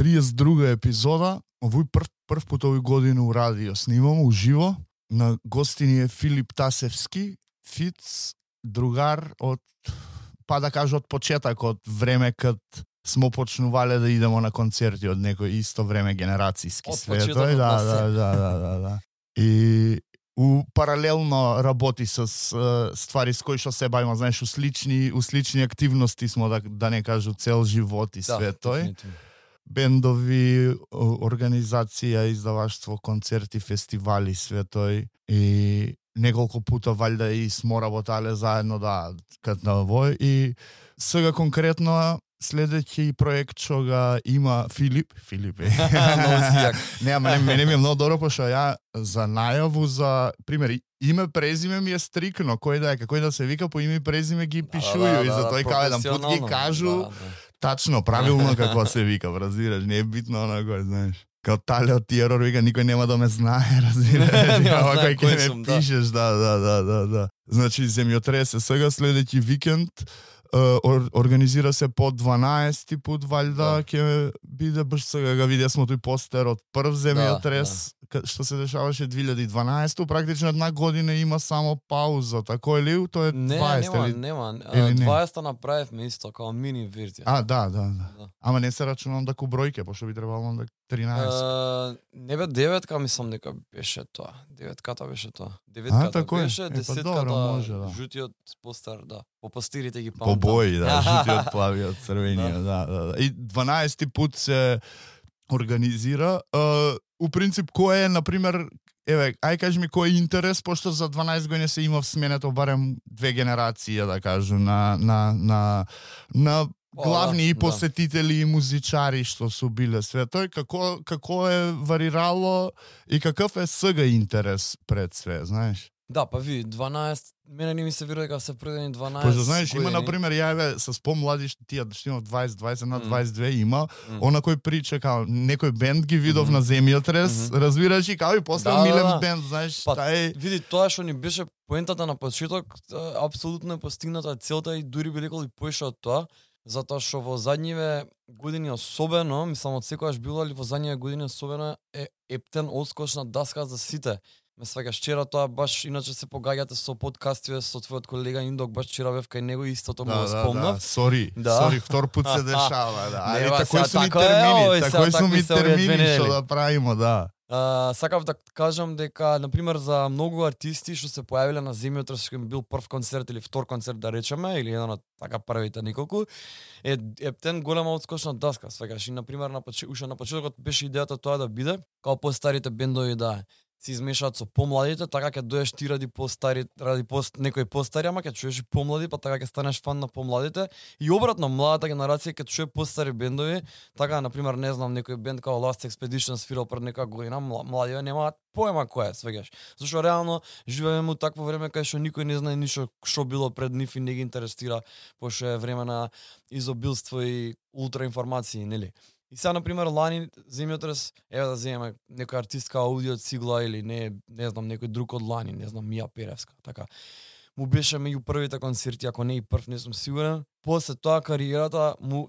32 епизода, овој прв пат овој година у радио снимам уживо. На гостини е Филип Тасевски, Фиц, другар од, па да кажа од почеток, од време кад смо почнувале да идемо на концерти од некој исто време генерацијски свет. Да. И паралелно работи со ствари с кои што се бавиме, знаеш, у слични активности смо, да не кажу цел живот и свет тој. Бендови, организација, издаваштво, концерти, фестивали, свет тој. И неколку пута валјда и смо работале заедно, да, кад на овој. И сега конкретно следеќи проект што ga има Филип е. Не, ама мене ми е многу добро, пошто ја за најаву, за пример, име презиме ми е стрикно, кој да се вика по име и презиме ги пишују, и за тој као еден пут ги кажу тачно, правилно како се вика, разбираш, не е битно онако, знаеш. Као Тале од Терор вика, никој нема да ме знае, разбираш. Кој ќе ме пишеш, да. Значи, земјотресе сега следеќи викенд, организира се по 12 пут, валјда, ќе биде баш сега, га видја смо тој постер од прв земјотрес, што се дешаваше 2012, практично една година има само пауза, тако или тоа е 20 или? Нема, 20 направивме исто, као мини верзија. Да. Ама не се рачунам да ку бројке, пошто би требало да 13. Не бе, 9-ка мислам дека беше тоа. 9-ката беше тоа. 9-ката беше, 10-ката жутиот постер, да. По пастирите ги памтам. По бои, да, жутиот, плавиот, црвениот, да. И 12 пут се организира. У принцип, кој е, например, ај кажи ми кој е интерес, пошто за 12 години се имав сменето барем 2 генерации, да кажу, на главни и посетители и музичари што су биле све тој, како е варирало и каков е сега интерес пред све, знаеш? Да, па ви, 12, мене не ми се верува дека се предени 12. Пошто знаеш, има например јаве со помлади што тие што има 20 на 22 има, она кој прича као некој бенд ги видов на земјотрес, разбираш и као и после милен бенд, знаеш, види тоа што ни беше поентата на почеток, апсолутно е постигната целта и дури би рекол и поише од тоа, затоа што во задниве години особено, мислам од секогаш било, али во задниве години особено е ептен одскочна даска за сите. Ме сваќаш, вчера тоа баш, иначе се погаѓате со подкастиве со твојот колега Индок, баш вчера бев кај него истото му го спомнав. Сори, втор пут се дешава, да. Али такој су ми термини што да правиме, да. Сакав да кажам дека, например, за многу артисти што се појавиле на земјотрес, што им бил прв концерт или втор концерт, да речеме, или еден од така првите неколку, е ептен голема одскочна даска, сваќаш. И, например, уште на почетокот беше идејата тоа да биде, као постарите бендови да се измешаат со помладите, така ќе доеш ти ради некој постари, ама ќе чуеш и помлади, па така ќе станеш фан на помладите. И обратно, младата генерација ќе чуе постари бендови, така, например, не знам, некој бенд као Last Expedition свирал пред некоја година, младите немаат поема кој е, свегаш. Зашто реално живееме у такво време кај што никој не знае ништо што било пред нив и не ги интересира, пошто е време на изобилство и ултраинформации, нели? И сега, например, лани земјотрес, еве да земеме некој артистка Аудио Цигла или не знам, некој друг од лани, не знам, Мија Перевска, така. Му беше меѓу првите концерти, ако не и прв, не сум сигурен. После тоа кариерата му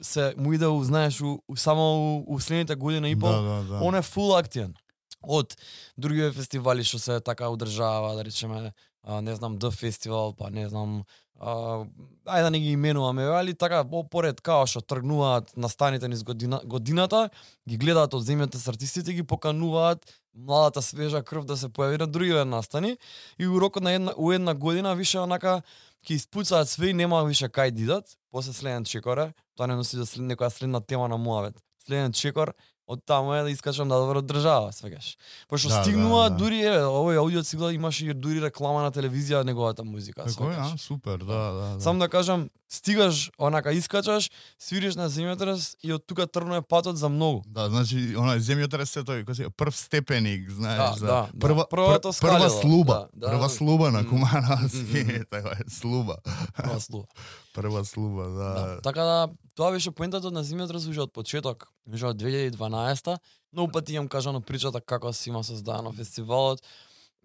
иде, знаеш, само у следните година и пол, он е фул активен. Од други фестивали што се така одржава, да речеме, не знам, The Festival, па не знам, ајде да не ги именуваме, али така поред као што тргнуваат настаните низ годината, ги гледаат од земјата с артистите, ги покануваат младата свежа крв да се појави на други настани и у рокот на една година више онака ќе испуцаат све и нема више кај дидат, после следен чекор, тоа не носи да некоја следна тема на муавет. Следен чекор, од таму е да искачам да добро држава, свегаш. Пошто стигнува дури овој Аудио Цигла имаше и дури реклама на телевизија неговата музика. Такој, супер, да. Сам да кажам, стигаш, онака искачаш, свириш на земјотрес и од тука тргнува патот за многу. Да, значи, земјотрес е тој, прв степеник, знаеш, прва слуба, прва слуба на Кумановски, така е, слуба. Прва слуба, да. Така да, тоа беше поентата на земјотрес уште од почеток, уште од 2012-та. Многу пати имам кажано причата како се има создадено фестивалот.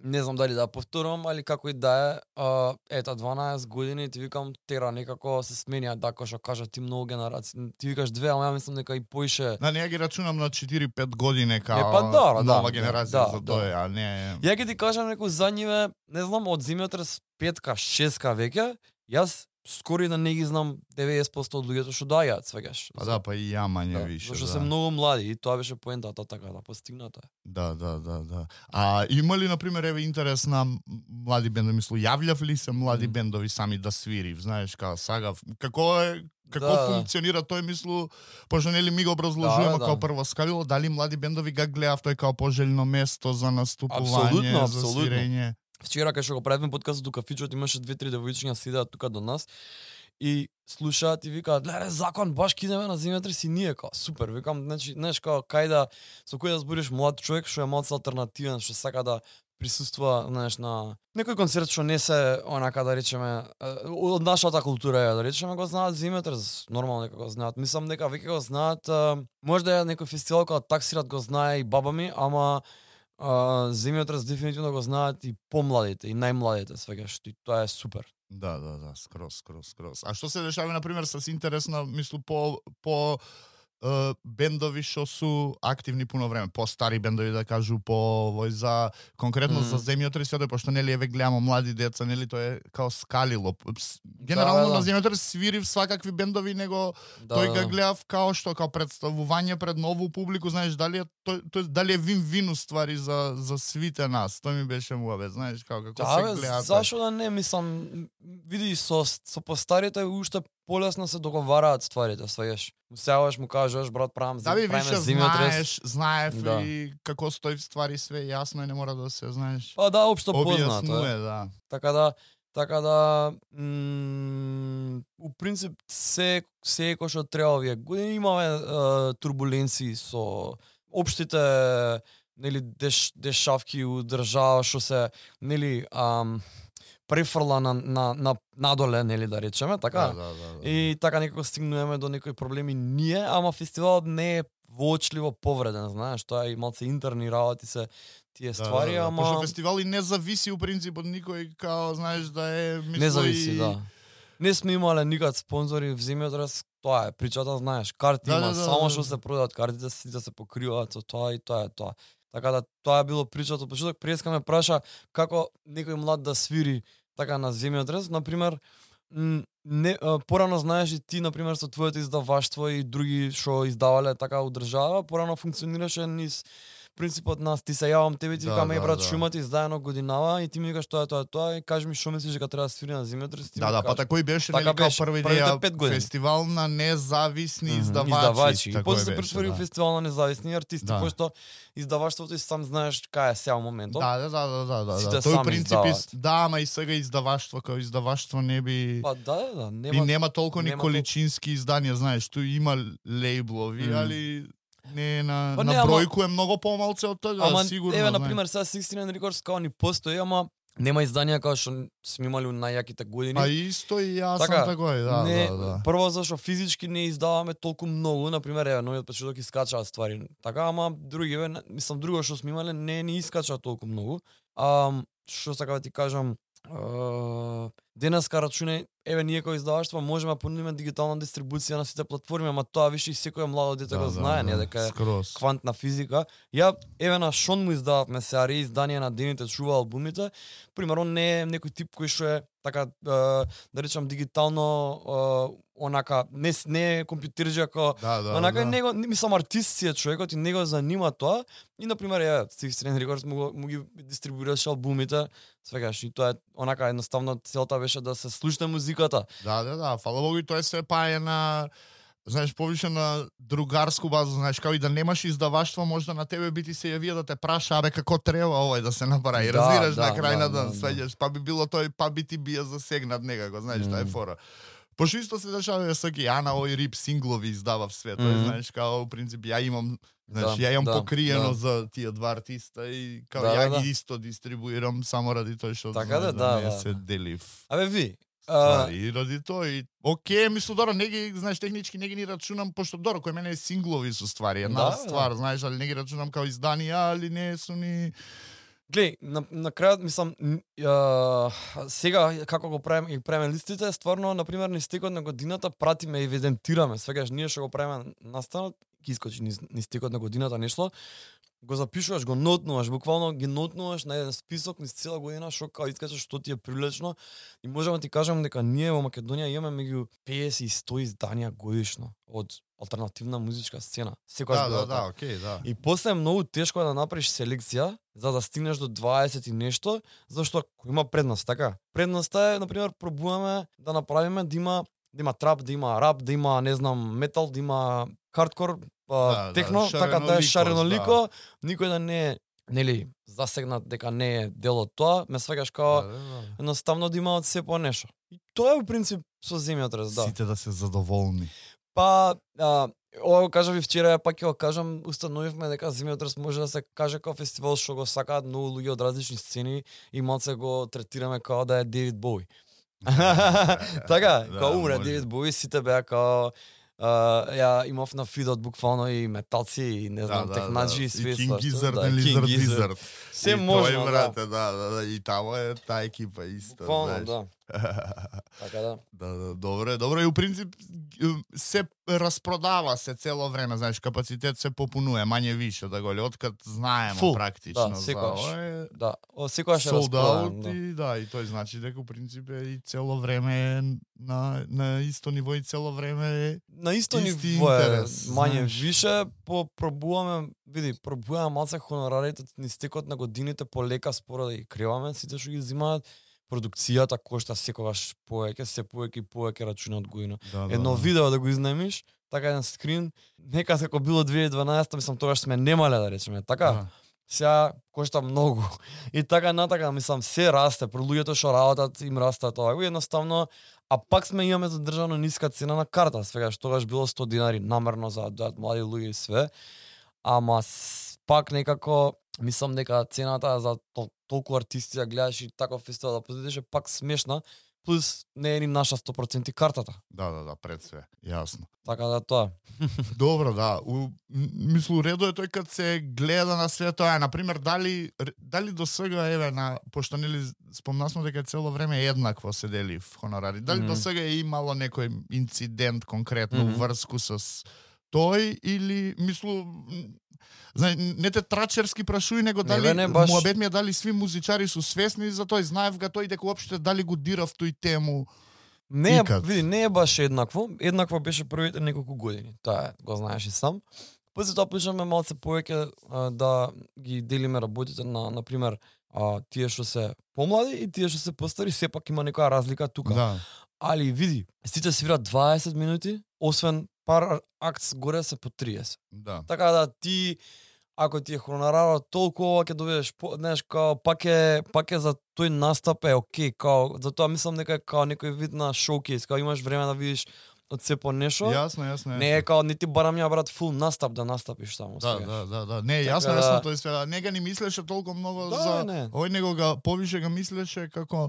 Не знам дали да повторам, али како и да е, ета 12 години ти викам тера некако се сменија, да што кажа ти многу генерации. Ти викаш две, ама ја мислам дека и поише. Да, не ја ги рачунам на 4-5 години као Па да, нова да, генерација да, за да. тоа, а не. Ја ќе ти кажам некој за ниве, не знам, од земјотрес 5-ка, 6-ка веќе, јас скоро и да не ги знам 90% од луѓето што доаѓаат, свегаш. Па да, па и ја мање више. Зашто да. се многу млади и тоа беше поентата така да постигната. Да. А има ли, например, еве интерес на млади бендови? Мислу, јављав ли се млади бендови сами да свирив? Знаеш, као сагав. Како функционира тој, мислу, пошто нели ми го образложуваме као прво скалило, дали млади бендови га гледав тој као пожелно место за наступување, за свирење? Вчера кај што го правевме подкастот у кафичот имаше 2-3 девојчиња седеат тука до нас и слушаат и викаат: "Леле, закон баш кидеме на земјотрес и ние као супер." Викам, значи, знаеш као кај да со кој да збориш млад човек што е малку алтернативен, што сака да присуствува, знаеш, на некој концерт што не се онака да речеме од нашата култура, да речеме, го знаат земјотрес, нормално дека го знаат. Мислам дека веќе го знаат, можда е некој фестивал кога таксират го знае и баба ми, ама земјотрес дефинитивно го знаат и помладите и најмладите, свегаш, и тоа е супер. Да, скрос. А што се дешава, например, с интересна, мислу, по бендови што су активни пуно време, по-стари бендови, да кажу, по за конкретно за земјотрес, пошто нели еве гледаме млади деца, нели тоа е као скалило. Генерално на земјотрес свирив свакакви бендови, него тој га гледав као што као представување пред нову публику, знаеш, дали е тој дали е вин-вин ствари за свите нас. Тоа ми беше муабет, знаеш, како се гледа. Зашо да не, мислам, види со постарите уште полесно се договараат стварите, сваѓаш. Му сеаваш, му кажеш, брат, правам земјотрес. Знаев и како стои ствари све јасно и не мора да се, знаеш. Па да, општо познато е, да. Така да у принцип се кој што треба овие години имаме турбуленции со општите нели дешавки у држава што се нели префрла на надоле, нели да речеме, така? Да. И така некако стигнуваме до некои проблеми ние, ама фестивалот не е воочливо повреден, знаеш, тоа е и малце интерни работи се тие ствари, ама пошто фестивали не зависи у принцип од никој, као знаеш да е не зависи, да. Не сме имале никад спонзори в земјотрес, тоа е причата, знаеш, карти има, само што се продават картите, сите се покриваат со тоа и тоа е тоа. Така да тоа е било причата. Почеток Преска ме праша како некој млад да свири така на земјотрес, например, порано знаеш и ти, например, со твоето издаваштво и други што издавале така одржава, порано функционираше низ принципот нас, ти се јавам тебе, ти викам, брат, шумати издаено годинава и ти ми викаш тоа и кажи ми што мислиш дека треба да свири на земјотрес. Да, па така и беше, нели, као прва идеја фестивал на независни издавачи. И после се претвори у фестивал на независни артисти, пошто издаваштвото и сам знаеш кај е сега моментот. Да. Тој принцип ама и сега издаваштво како издаваштво не би. Па да, нема толку ни количински изданија, знаеш, тој има лейблови, али не на бројку е многу помалце од тоа, сигурно. Еве, например, сега 69 Records као ни постои, ама нема изданија како што сме имали у најјаките години. А исто и јас сам такој, да. Прво зашто физички не издаваме толку многу, например, еве, новиот почеток искачаат ствари. Така, ама други, мислам, друго што сме имале не ни искача толку многу. Што сакам да ти кажам, денеска рачуне, еве ние кои издаваштво можеме да понудиме дигитална дистрибуција на сите платформи, ама тоа више и секој младо дете го знае, не дека е квантна физика. Ја еве на Шон му издававме се изданија на Дените чува албумите. Примерно не е некој тип кој што е така да речам дигитално онака не е компјутерџа како онака него мислам артист си е човекот и него занима тоа и на пример ја Стивен Рекордс му ги дистрибуираше албумите, свегаш и тоа е онака едноставно целта беше да се слуша музиката. Да, фала Богу и тоа се пае на знаеш, повише на другарску база, знаеш, како и да немаш издаваштво, можда на тебе би ти се јавија да те праша, абе како треба овој да се направи. Разбираш на крај на ден, свеѓаш, па би било тој, па би ти бија засегнат некако, знаеш, таа е фора. Пошто исто се дешава саки Ана овој рип синглови издава в свет, знаеш, као принцип ја имам, знаеш, ја имам покриено за тие два артиста и као ја ги исто дистрибуирам само ради тој што не се делив. Абе ви и ради тој, окей, мислу добро, не ги, знаеш, технички не ги ни рачунам, пошто добро, кој мене е синглови со ствари, една ствар, знаеш, али не ги рачунам као изданија, али не су ни Глеј, на крајот мислам сега како го правиме листите, стварно на пример низ текот на годината пратиме, евидентираме, свегаш ние што го правиме настанот, ќе искочи низ текот на годината нешто, го запишуваш, го нотнуваш, буквално ги нотнуваш на еден список низ цела година што као искачаш што ти е привлечно и можам да ти кажам дека ние во Македонија имаме меѓу 50 и 100 изданија годишно од алтернативна музичка сцена. Секогаш Да, окей, да. И после е многу тешко да направиш селекција за да стигнеш до 20 и нешто, зашто има предност, така? Предноста е, на пример, пробуваме да направиме да има трап, да има рап, да има, не знам, метал, да има хардкор, техно, така да е шаренолико, никој да не е, нели, засегнат дека не е дел од тоа, ме свегаш као едноставно да има од се по нешто. И тоа е во принцип со земјотрес, да. Сите да се задоволни. Па, ова го кажав и вчера, пак ќе го кажам, установивме дека земјотрес може да се каже како фестивал што го сакаат многу луѓе од различни сцени и малце го третираме како да е Девид Боуи. Така, кога умре Девид Боуи, сите беа као ја имав на фидот буквално и металци и не знам технаджи и све тоа. И King Gizzard. Се можно, брате, да, и тамо е таа екипа исто, буквално, да. Така да. Да, добро и у принцип се распродава се цело време, знаеш, капацитет се попунува, мање више да го откад знаеме практично. Да, секогаш. Да, секогаш е распродаван. И тој значи дека у принцип и цело време е на исто ниво и цело време е на исто ниво е, мање више, пробуваме малце хонорарите низ текот на годините полека споро да ги криваме, сите што ги земаат. Продукцијата кошта секогаш повеќе, се повеќе рачуна од година. Едно видео да го изнаемиш, така еден скрин, нека како било 2012, мислам тогаш сме немале да речеме, така. Сега кошта многу. И така натака, мислам, се расте, про луѓето што работат им расте тоа. И едноставно, а пак имаме задржано ниска цена на карта, свегаш тогаш било 100 динари намерно за млади луѓе и све. Ама пак некако мислам дека цената за толку артисти да гледаш и таков фестивал да посетиш е пак смешна, плюс не е ни наша 100% картата. Да, пред све, јасно. Така да тоа. Добро, да. Мислу, редо е тој кад се гледа на све тоа. Например, дали до сега, пошто нели спомнасмо дека цело време еднакво се дели в хонорари, дали до сега е имало некој инцидент конкретно врску со тој или, мислу, не те трачерски прашуј, него дали муабет ми е дали сви музичари су свесни за тој, знаев га тој дека уопште дали го дирав тој тему. Не е баш еднакво. Еднакво беше првите неколку години. Тоа го знаеш и сам. После тоа почнеме малце повеќе да ги делиме работите на пример тие што се помлади и тие што се постари, сепак има некоја разлика тука. Да. Али види, сите свират 20 минути, освен пар акт горе се по 30. Да. Така да ти ако ти е хонорарот толку ќе добиеш, знаеш, као пак е за тој настап е окей, као затоа мислам дека е као некој вид на шоукейс, као имаш време да видиш од се по нешто. Јасно. Не е као не ти барам ја брат фул настап да настапиш таму. Да. Не, јасно тој све. Не га ни мислеше толку многу за овој, него га повише га мислеше како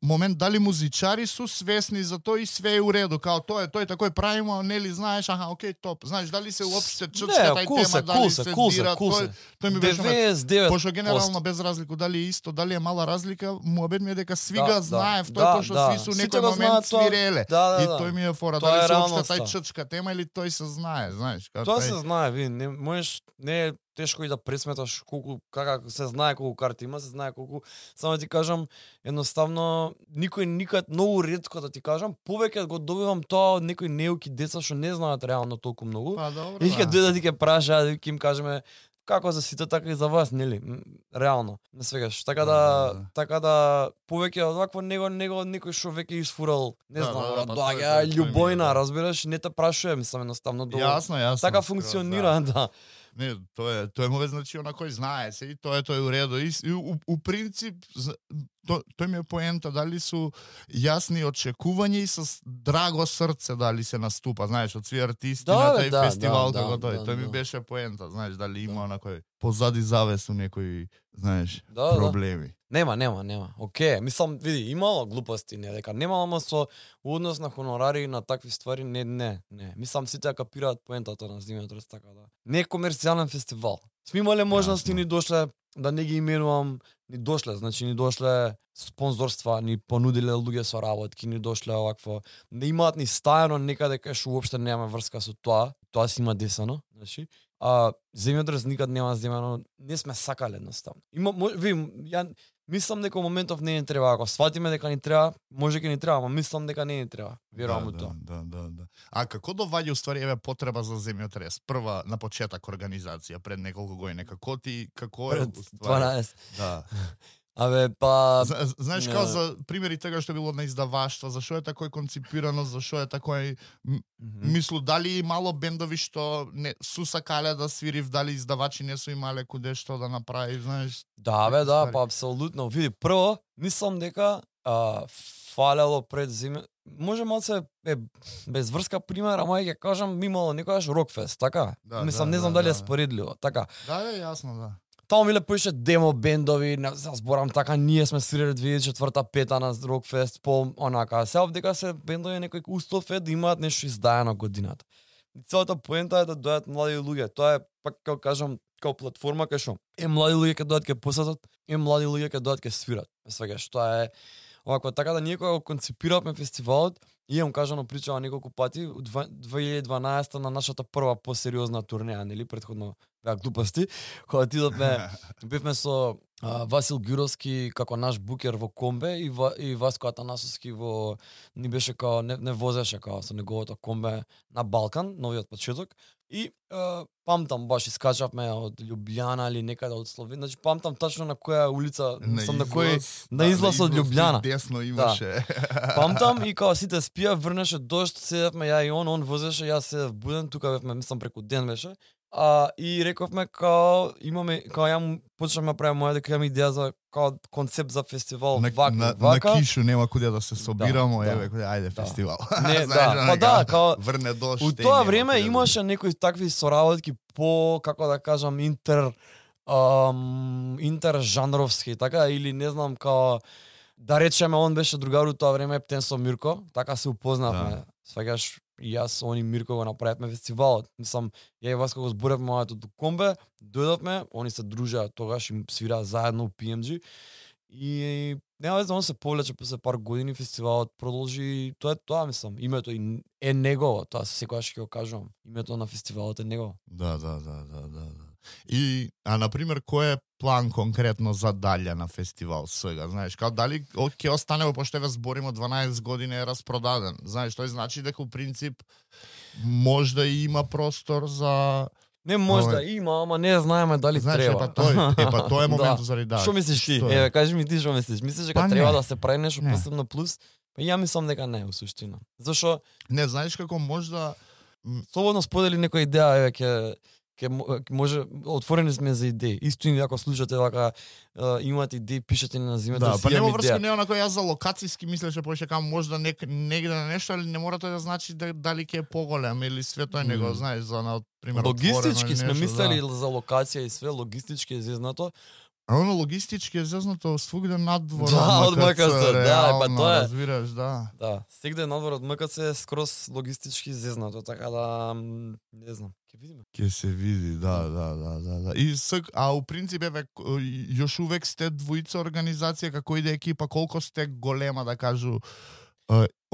момент дали музичари су свесни за тој и све е у реду, као тој такој правимо, нели знаеш, окей, топ. Знаеш дали се уопште чучка тај тема, дали се дира, тој ми беше 99%. Пошто генерално без разлика дали е исто, дали е мала разлика, муабет ми е дека сви га знаев тој пошто сви су некој момент свиреле. И тој ми е фора се опште тај ччка тема или тој се знае, знаеш? Тоа се знае, не можеш, не е тешко и да пресметаш колку се знае колку карти има, се знае колку, само ти кажам, едноставно никој никад многу ретко да ти кажам, повеќе го добивам тоа од некои неуки деца што не знаат реално толку многу. И ќе дојдат и ќе прашаат, ќе им кажеме како за сите, така и за вас, нели? Реално, не свегаш. Така да повеќе од вакво него некој што веќе изфурал, не знам, доаѓа љубојна, разбираш, не те прашува, мислам едноставно долу. Јасно. Така функционира, да. Не, тоа е мове значи на кој знае се и тоа е у реду. И у принцип тој ми е поента дали су јасни очекувања и со драго срце дали се наступа, знаеш, од сви артисти на тај фестивал како тој. Тој ми беше поента, знаеш, дали има некој позади завесу некои, знаеш, проблеми. Нема. Океј, мислам, види, имало глупости, не дека немало, ама со однос на хонорари и на такви ствари, не. Мислам, сите ја капираат поентата на земјотрес, така да. Не е комерцијален фестивал. Сме имале можности, Јасно. ни дошле, да не ги именувам, ни дошле, значи ни дошле спонзорства, ни понудиле луѓе со работки, ни дошле овакво. Не имаат ни стајано некаде кај што уопште нема врска со тоа си има десано, значи. А земјотрес никад нема земјано, не сме сакале едноставно. Ја мислам дека моментов не ни треба, ако сватиме дека ни треба, може ќе ни треба, ама мислам дека не ни треба. Верувам у тоа. Да. А како доваѓа уствари еве потреба за земјотрес? Прва на почеток организација пред неколку години. Како е Пред уствари? 12. Да. Абе, па... Знаеш како за примери тега што било на издаваштва, зашо е тако конципирано, зашо е тако мислу дали мало бендови што не су сакале да свирив, дали издавачи не су имале куде што да направи, знаеш? Да, бе, да, па апсолутно. Види, прво, мислам дека фалело пред земја. Може малце без врска пример, ама ќе кажам имало некогаш Рокфест, така? Мислам, не знам дали е споредливо, така. Да, јасно, да. Таму миле поише демо бендови, не зборам така, ние сме свирили 2004-5 на Рокфест, по онака. Сега дека се бендови некој устов е да имаат нешто издаено годината. И целата поента е да дојдат млади луѓе. Тоа е, пак како кажам, како платформа кај што млади луѓе ќе дојдат ќе посетат, млади луѓе ќе дојдат ќе свират. Сваќаш, тоа е овако, така да ние кога го концепиравме фестивалот, имам кажано причава неколку пати, 2012 на нашата прва посериозна турнеја, нели, претходно беа глупости, кога отидовме, бевме со Васил Гюровски како наш букер во Комбе и Васко Атанасовски ни беше као не возеше као со неговото Комбе на Балкан, новиот почеток. И памтам баш искачавме од Љубљана или некаде од Словенија, значи памтам тачно на која улица, сум на кој на излаз од Љубљана. Десно имаше. Да. Памтам и као сите спија, врнеше дожд, седевме ја и он возеше, јас се буден, тука бевме, мислам преку ден беше. И рековме као имаме као ја почнавме да правиме моја дека имам идеја за као концепт за фестивал вака. На кишу нема куде да се собирамо, еве куде ајде фестивал. Не, да, па да, као врне дожд. У тоа време имаше некои такви соработки по, како да кажам, интержанровски, така, или не знам, као да речеме, он беше другар у тоа време, Ептен со Мирко, така се упознавме. Сваќаш, и јас, они Мирко го направивме фестивалот. Мислам, ја и Васко го зборевме моето до Комбе, дојдовме, они се дружеа тогаш и свираа заедно у PMG. И нема веза, он се повлече после пар години, фестивалот продолжи, тоа е тоа, мислам, името е негово, тоа секогаш ќе го кажувам. Името на фестивалот е негово. Да. И, например, кој е план конкретно за дале на фестивал сега? Знаеш, као дали ќе остане, пошто ве зборимо 12 години е распродаден. Знаеш, тој значи дека у принцип можда и има простор за... Не можда има, ама не знаеме дали знаеш, треба. Тоа е моментот заради да. Што мислиш ти? Еве, кажи ми ти што мислиш? Мислиш дека треба да се прави нешто посебно плюс? Па ја мислам дека не, у суштина. Зашо? Не, знаеш како можда... Слободно сподели некоја идеја, еве, ќе може, отворени сме за идеи. Исто и ако слушате вака, имате идеи, пишете на зимето. Да, па нема врска не онако јас за локацијски мислеше повеќе кам можда негде на нешто, али не мора тоа да значи дали ќе е поголем или све тоа него, знаеш, за на пример логистички сме мислели за локација и све, логистички е зезнато. А оно логистички е зезнато свугде надвор од МКЦ, да, па тоа е. Разбираш, да. Да, сегде надвор од МКЦ е скроз логистички зезнато, така да не знам, ќе видиме. Ќе се види, да. И у принцип еве још увек сте двојца организација, како иде екипа, колку сте голема да кажу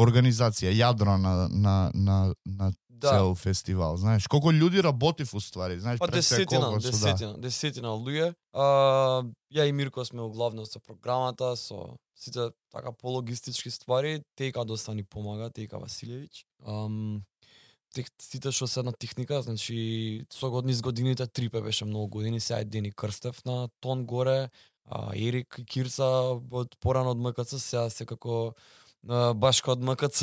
организација, јадро на цел фестивал, знаеш, колку луѓе работи в уствари, знаеш, па десетина луѓе. Ја и Мирко сме углавно со програмата, со сите така пологистички ствари, Тејка доста ни помага, Тејка Василевиќ. Сите што се на техника, значи со годините Трипе беше многу години, сега е Дени Крстев на тон горе, Ерик Кирца од порано од МКЦ, сега секако Башка од МКЦ.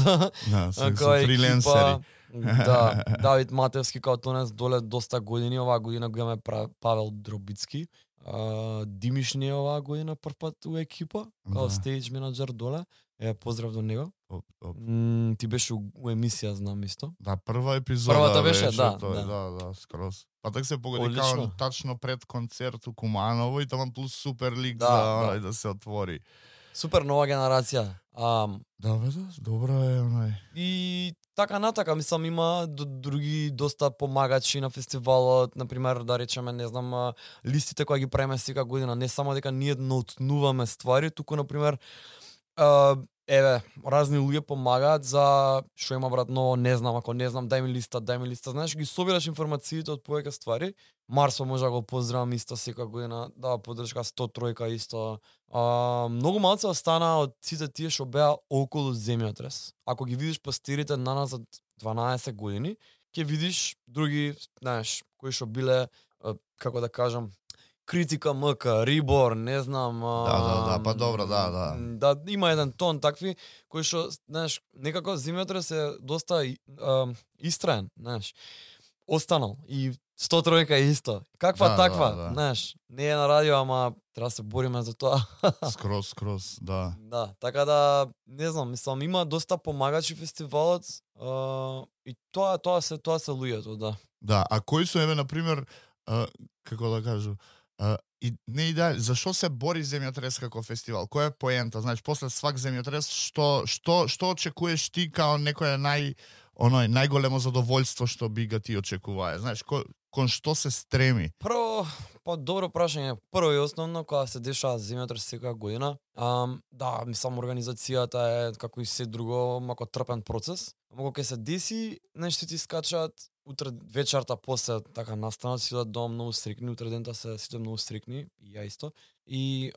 Да, со фриленсери. Да, Давид Матевски као тонес доле доста години, оваа година го имаме Павел Дробицки. Димишни оваа година првпат у екипа, као стейдж менаџер доле. Поздрав до него. Ти беше у емисија, знам исто. Да, прва епизода. Првата беше, да, скроз. Па так се погоди као тачно пред концерт у Куманово и таман плюс супер лик за да се отвори. Супер нова генерација. Да, добра е онај. И така натака, мислам има други доста помагачи на фестивалот, например да речеме, не знам, листите кои ги правиме секоја година, не само дека ние наутнуваме ствари, туку например еве, разни луѓе помагаат за што има брат ново, не знам, ако не знам, дај ми листа, знаеш, ги собираш информациите од повеќе ствари. Марсо може да го поздравам исто секоја година, дава поддршка 103 исто. Многу малце остана од сите тие што беа околу земјотрес. Ако ги видиш пастирите наназад 12 години, ќе видиш други, знаеш, кои што биле, како да кажам, Критика МК, Рибор, не знам. Да, па добро, да. Да, има еден тон такви кои што, знаеш, некако земјотрес е доста истраен, знаеш. Останал и 103 исто. Каква таква, знаеш, не е на радио, ама треба да се бориме за тоа. Скроз, да. Да, така да, не знам, мислам, има доста помагачи фестивалот и тоа се луѓето, да. Да, а кои се, еве, например, како да кажу, и не идеја, зашо се бори земјотрес како фестивал? Која е поента? Значи, после свак земјотрес, што очекуваш ти као некоја најголемо задоволство што би га ти очекувае? Знаеш, кон што се стреми? Прво, добро прашање. Прво и основно, кога се дешава земјотрес секоја година, да, мислам, организацијата е, како и се друго, мако трпен процес. Ама кога се деси, нешто ти скачаат, утре вечерта после така настанат, си да дом многу стрикни, утре дента се сите многу стрикни, и ја исто. И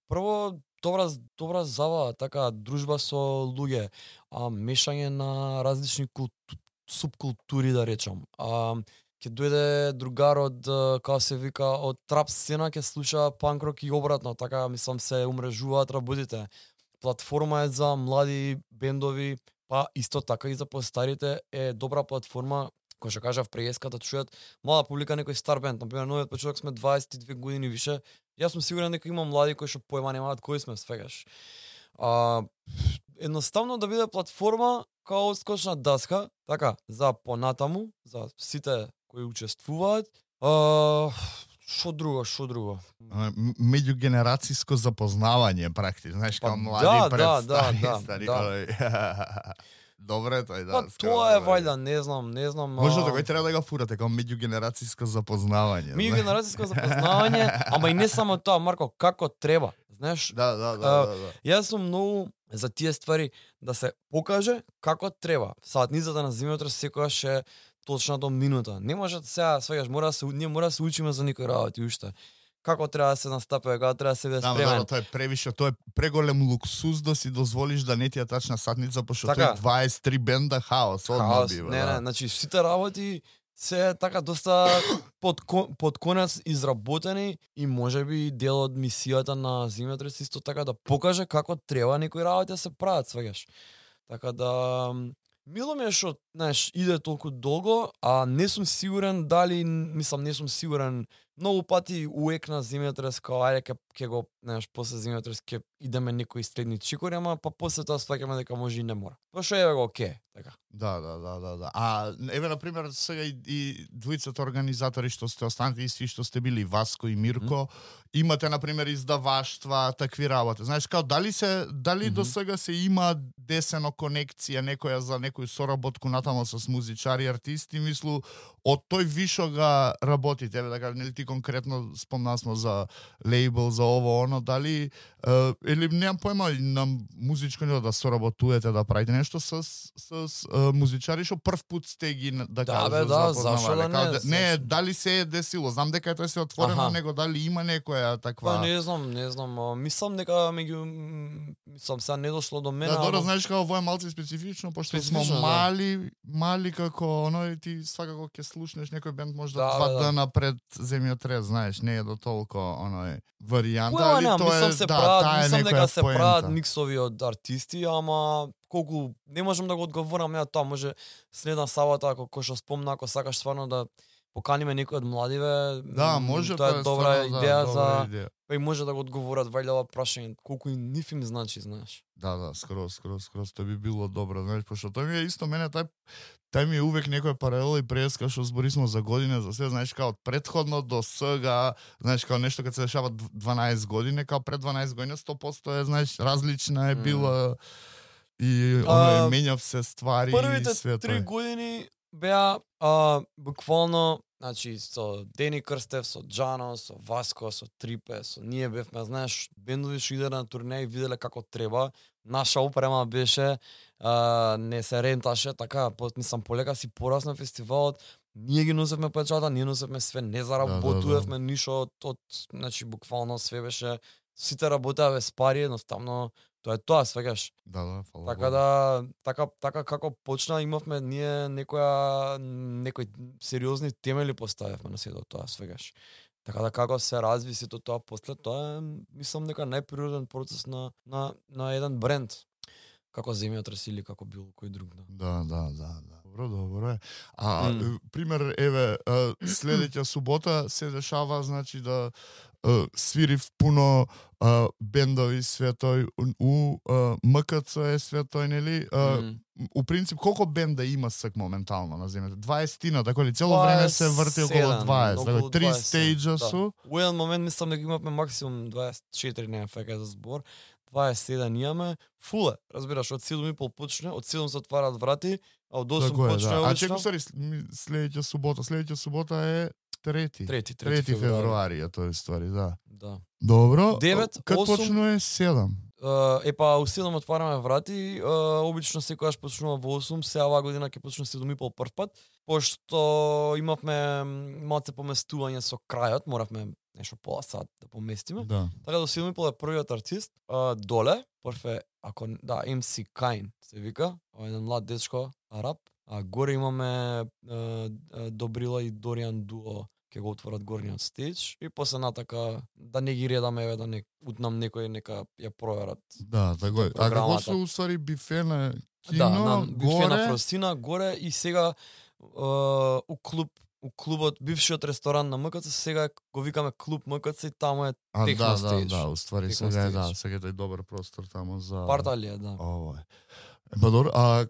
прво добра забава, така дружба со луѓе, мешање на различни субкултури, да речам. Ќе дојде другар од, како се вика, од трап сцена, ќе слуша панк-рок и обратно, така мислам се умрежуваат работите. Платформа е за млади бендови, па исто така и за постарите е добра платформа, кој што кажав преска да чујат млада публика некој стар бенд, например новиот почеток сме 22 години више. Јас сум сигурен дека има млади кои што појма немаат кои сме, свегаш. Едноставно да биде платформа као скочна даска, така, за понатаму, за сите кои учествуваат. Шо друго? Меѓугенерацијско запознавање практично, знаеш, као млади пред стари. Добре, тој да. Тоа е вајда, не знам. Може да треба да го фурате као меѓугенерацијско запознавање. Меѓугенерацијско запознавање, ама и не само тоа, Марко, како треба, знаеш? Да. Јас сум многу за тие ствари да се покаже како треба. Саатницата на земјотрес секогаш е точно до минута. Не може сега, свегаш, ние мора да се учиме за некои работи уште. Како треба да се настапува, како треба да се биде спремен. Тоа е превише, тоа е преголем луксуз да си дозволиш да не ти ја тачна сатница, пошто тој 23 бенда хаос одма бива. Не, значи сите работи се така доста под конец изработени и можеби дел од мисијата на земјотрес исто така да покаже како треба некои работи да се прават, свегаш. Така да мило ми е што, знаеш, иде толку долго, а не сум сигурен дали, не сум сигурен многу пати уек на земјотрес, као ајде ке го, знаеш, после земјотрес ке идеме некои следни чикори, ама па после тоа сваќаме дека може и не мора. Па што еве го оке, така. Да. А еве на пример сега и двојцата организатори што сте останати исти што сте били Васко и Мирко, имате на пример издаваштва, такви работи. Знаеш, као дали до сега се има десено конекција некоја за некој соработку натаму со музичари, артисти, мислу од тој вишо га работите, еве да кажам, нели ти конкретно спомнасмо за лейбл, за ово оно, дали или немам појма на музичко ниво да соработувате, да правите нешто со музичари што прв пат сте ги да кажу запознавале. Не, дали се е десило, знам дека тоа се отворено, него дали има некоја таква. Не знам, мислам дека мислам сега не дошло до мене. Да, добро, знаеш како ово е малку специфично, пошто сме мали како оно ти свакако ќе слушнеш некој бенд можда 2 дена пред земјотрес, знаеш, не е до толку оној варијанта, али тоа е мислам дека се прават миксови од артисти, ама колку не можам да го одговорам ја тоа, може следна сабота ако што спомна, ако сакаш стварно да поканиме некој од младиве, да, може, тоа е добра идеја за идеја. Па и може да го одговорат вајде ова прашање, колку и ниф им значи, знаеш. Да, скроз, тоа би било добро, знаеш, пошто тоа ми е исто мене тај ми е увек некоја паралела и преска што зборисмо за година, за се, знаеш, као од претходно до сега, знаеш, као нешто кога се дешава 12 години, као пред 12 години 100% е, знаеш, различна е била и оно менјав се ствари Првите и све 3 тоа. години беа буквално, значи со Дени Крстев, со Джано, со Васко, со Трипе, со ние бевме, знаеш, бендови што иде на турне и виделе како треба. Наша опрема беше, не се ренташе, така, мислам, полека си порасна фестивалот, ние ги носевме печата, ние носевме све, не заработувавме ништо од, значи, буквално све беше, сите работеа без пари, едноставно, тоа е тоа, свегаш. Да, фала. Така да, така како почна, имавме ние некои сериозни темели поставивме на сето тоа, свегаш. Така да како се разви сето тоа после, тоа е, мислам, нека најприроден процес на еден бренд. Како Земјотрес или како било кој друг. Да. Добро е. Пример, еве, следеќа субота се дешава, значи да свирив пуно бендови све тој у МКЦ е све тој, нели? У принцип, колку бенда има сак моментално на земјата? 20-тина, така ли? Цело време се врти околу 20, така 3 стејџа су. У еден момент мислам дека имавме максимум 24, не фека за збор. 27 имаме, фуле, разбираш, од 7:30 почне, од 7 се отвараат врати, а од 8 почне обично. А обично. чекај, следеќа субота е 3 февруари, тоа е ствари, да. Да. Добро. 9, Кад 8, почнува 7? Епа, у 7 отвараме врати, обично секогаш почнува во 8, сега оваа година ќе почне 7:30 прв пат, пошто имавме малце поместување со крајот, моравме нешто пола сат да поместиме. Да. Така до 7:30 е првиот артист, доле, прв е, MC Kain се вика, еден млад дечко, араб, а горе имаме Добрила и Дориан дуо, ќе го отворат горниот стејдж и после натака да не ги редаме, еве да не утнам некој нека ја проверат. Да, така е. А како се уствари бифе на кино, бифе на Фростина горе и сега у клубот, бившиот ресторан на МКЦ, сега го викаме клуб МКЦ и таму е техно стејдж. Да, уствари сега е, сега е тој добар простор таму за Парталија, да. Ова е. Добро, а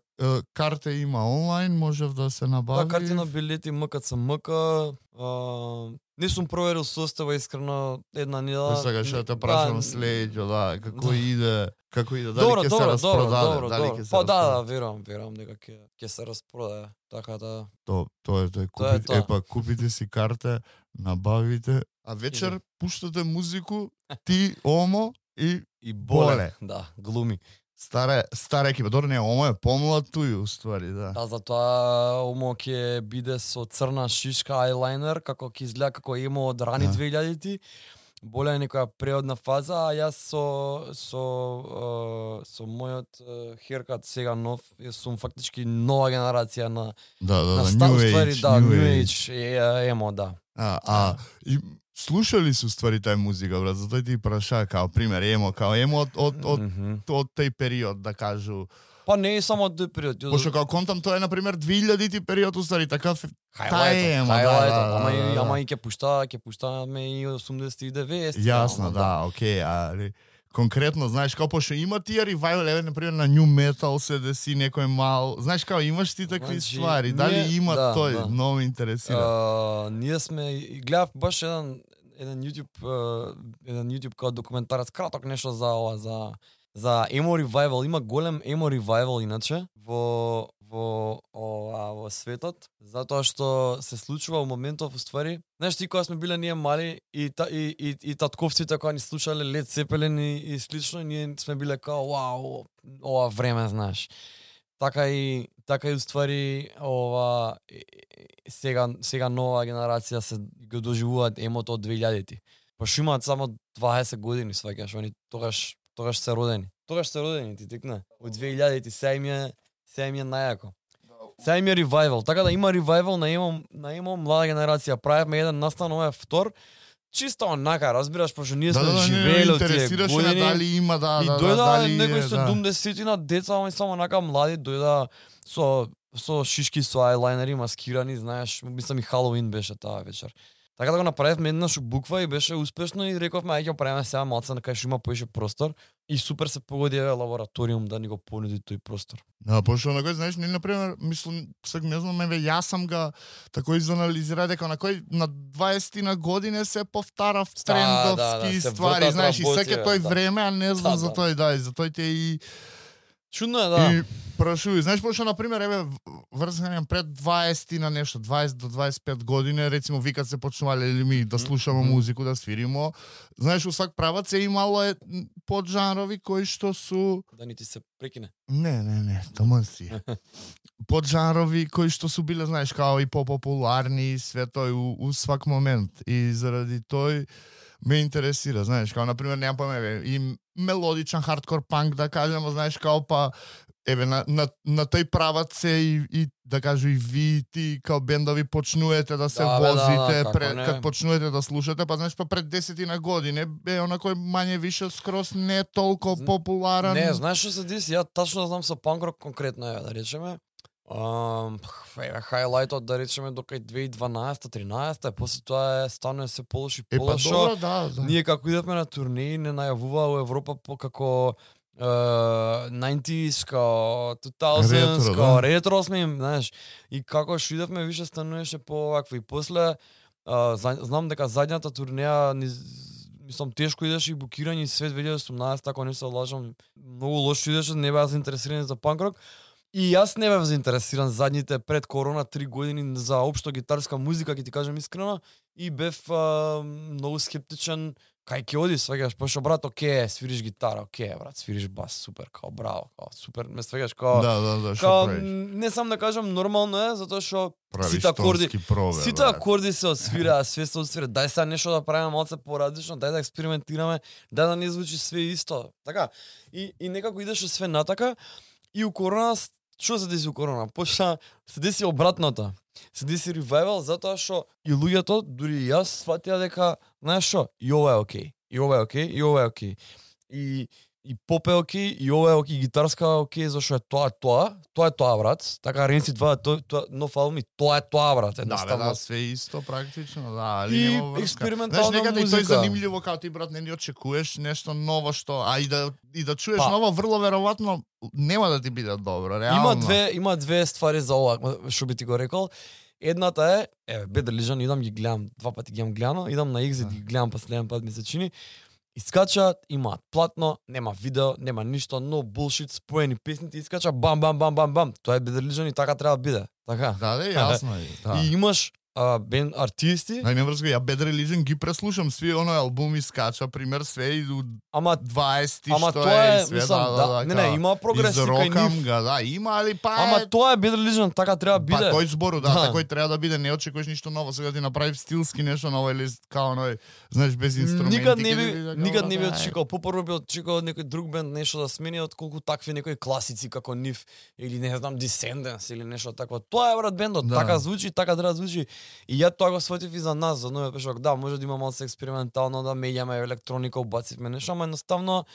карте има онлайн, можев да се набави? Да, карти на билети МКЦ МК, не сум проверил состава искрено една недела. Сега ќе те прашам следеќо, да, како иде, дали ќе се распродаде, дали ќе се Па да, верувам дека ќе се распродаде, така да. Тоа е тој, епа купите си карте, набавите, а вечер пуштате музику, ти, Омо и Боле. Да, глуми. Стара екипа, добро не, Омо е помлад туј, уствари, да. Да, затоа Омо ќе биде со црна шишка ајлайнер, како ќе изгледа како Емо од рани 2000-ти. Боле е некоја преодна фаза, а јас со мојот херкат сега нов, сум фактички нова генерација на New Age, Емо, да. И слушали су ствари тај музика, брат, затоа ти праша као пример Емо од тој период, да кажу. Па не е само од тој период. Пошто као контам тоа е на пример 2000-ти период, устари такав Емо, ама и ќе пуштаме и 80-ти и 90-ти. Јасно, да, окей, али конкретно, знаеш, као пошто има тие ревајвал, еве на пример на New Metal се деси некој мал, знаеш као имаш ти такви ствари, дали има тој, многу ме интересира. Ние сме гледав баш еден YouTube као документарец, краток нешто за ова, за емо ревајвал, има голем емо ревајвал иначе во светот, затоа што се случува во моментов уствари. Знаеш, ти кога сме биле ние мали и татковците кога ни слушале Led Zeppelin и слично, ние сме биле као вау, ова време, знаеш. Така и уствари сега нова генерација се го доживуваат емото од 2000-ти. Па што имаат само 20 години, сваќаш, они тогаш се родени. Ти текна. Од 2000-ти сега им е најако. Сега им е ревајвал. Така да има ревајвал на емо млада генерација. Правевме еден настан, ова е втор. Чисто онака, разбираш, пошто ние сме живееле од тие години. Дали има, и дојда некој 70-тина деца, ама само онака млади, дојда со шишки, со ајлайнери, маскирани, знаеш, мислам и Халоуин беше таа вечер. Така да го направивме еднаш буква и беше успешно и рековме ајде ќе правиме сега малце на кај што има поише простор и супер се погоди лабораториум да ни го понуди тој простор. Да, пошто на кој знаеш, не на пример, мислам, сега не знам, јас сам га тако изанализира дека на кој на 20 години се повтарав трендовски ствари, знаеш, и секој тој време, а не знам за тој, и за тој те и Чудно е, да. И прашувај, знаеш пошто на пример еве врзгам пред 20 на нешто, 20 до 25 години, рецимо викат се почнувале или ми да слушаме музику, да свиримо. Знаеш, у свак правац е имало поджанрови кои што су Да ни ти се прекине. Не, таман си. Поджанрови кои што су биле, знаеш, као и попопуларни и све тој у свак момент. И заради тој ме интересира, знаеш, као например немам појма, и мелодичен хардкор панк да кажеме, знаеш, као па еве на тој правац се и да кажу и ви ти као бендови почнуете да се возите кад почнуете да слушате, па знаеш па пред 10 на години бе онакој мање више скрос не толку популарен. Не, знаеш што се деси, ја тачно знам со панк-рок конкретно, да речеме. Хайлайтот да речеме до кај 2012-13, после тоа станува се полоши полошо. Да. Ние како идевме на турнеи не најавуваа во Европа по како 90s, као 2000s, као ретро сме им, знаеш. И како што идевме више стануваше повакво и после знам дека задњата турнеја мислам тешко идеше и букирање и свет 2018, ако не се лажам, многу лошо идеше, не беа заинтересирани за панк-рок. И јас не бев заинтересиран задните пред корона 3 години за општо гитарска музика, ќе ти кажам искрено, и бев многу скептичен кај ќе оди, сваѓаш, пошто брат, оке, свириш гитара, оке, брат, свириш бас, супер, као браво, као супер, ме сваѓаш, као Да, као не сам да кажам нормално е, затоа што сите акорди се освираа, све се освира. Дај сега нешто да правиме малце поразлично, дај да експериментираме, дај да не звучи све исто. Така. И некако идеше све натака. И у корона, што се деси у корона? Почна се деси обратното. Се деси ревайвал затоа што и луѓето, дури и јас, сватија дека, знаеш што, и ова е окей, и ова е окей, и ова е окей. И поп е окей, и ова е окей, гитарска е окей, зашто е тоа, брат. Така Ренци 2, тоа нов албум и тоа е тоа, брат. Да, све исто практично, да, али и нема врска. експериментална знаеш, некаде музика. и тој занимљиво као ти брат не очекуваш нешто ново што, и да чуеш ново, врло веројатно нема да ти биде добро, реално. Има две ствари за ова, што би ти го рекол. Едната е, Bad Religion, идам ги гледам, 2 пати ги имам гледано, идам на Exit ги гледам последен пат ми се чини. Искачаат, имаат платно, нема видео, нема ништо, no bullshit, споени песните, искача бам. Тоа е Bad Religion и така треба да биде. Така. Да, јасно е. Да. И имаш бенд артисти. Нај врска, ја Bad Religion ги преслушам свие оној албуми скача, пример све и до 20 ама што тоа е, и све, мислам, не, има прогрес кај нив. Да, има, али па Ама тоа е Bad Religion, така треба биде. Па тој збору, да, такој треба да биде, не очекуваш ништо ново, сега ти направи стилски нешто ново или као оној, знаеш, без инструменти. Никад не би очекувал, попрво би очекувал некој друг бенд нешто да смени отколку такви некои класици како нив или не знам Descendants или нешто такво. Тоа е брат бендот, така звучи, така треба да звучи. И ја тоа го сватив и за нас, за новиот пешок. Да, може да има малку експериментално, да меѓаме електроника, убацивме нешто, ама едноставно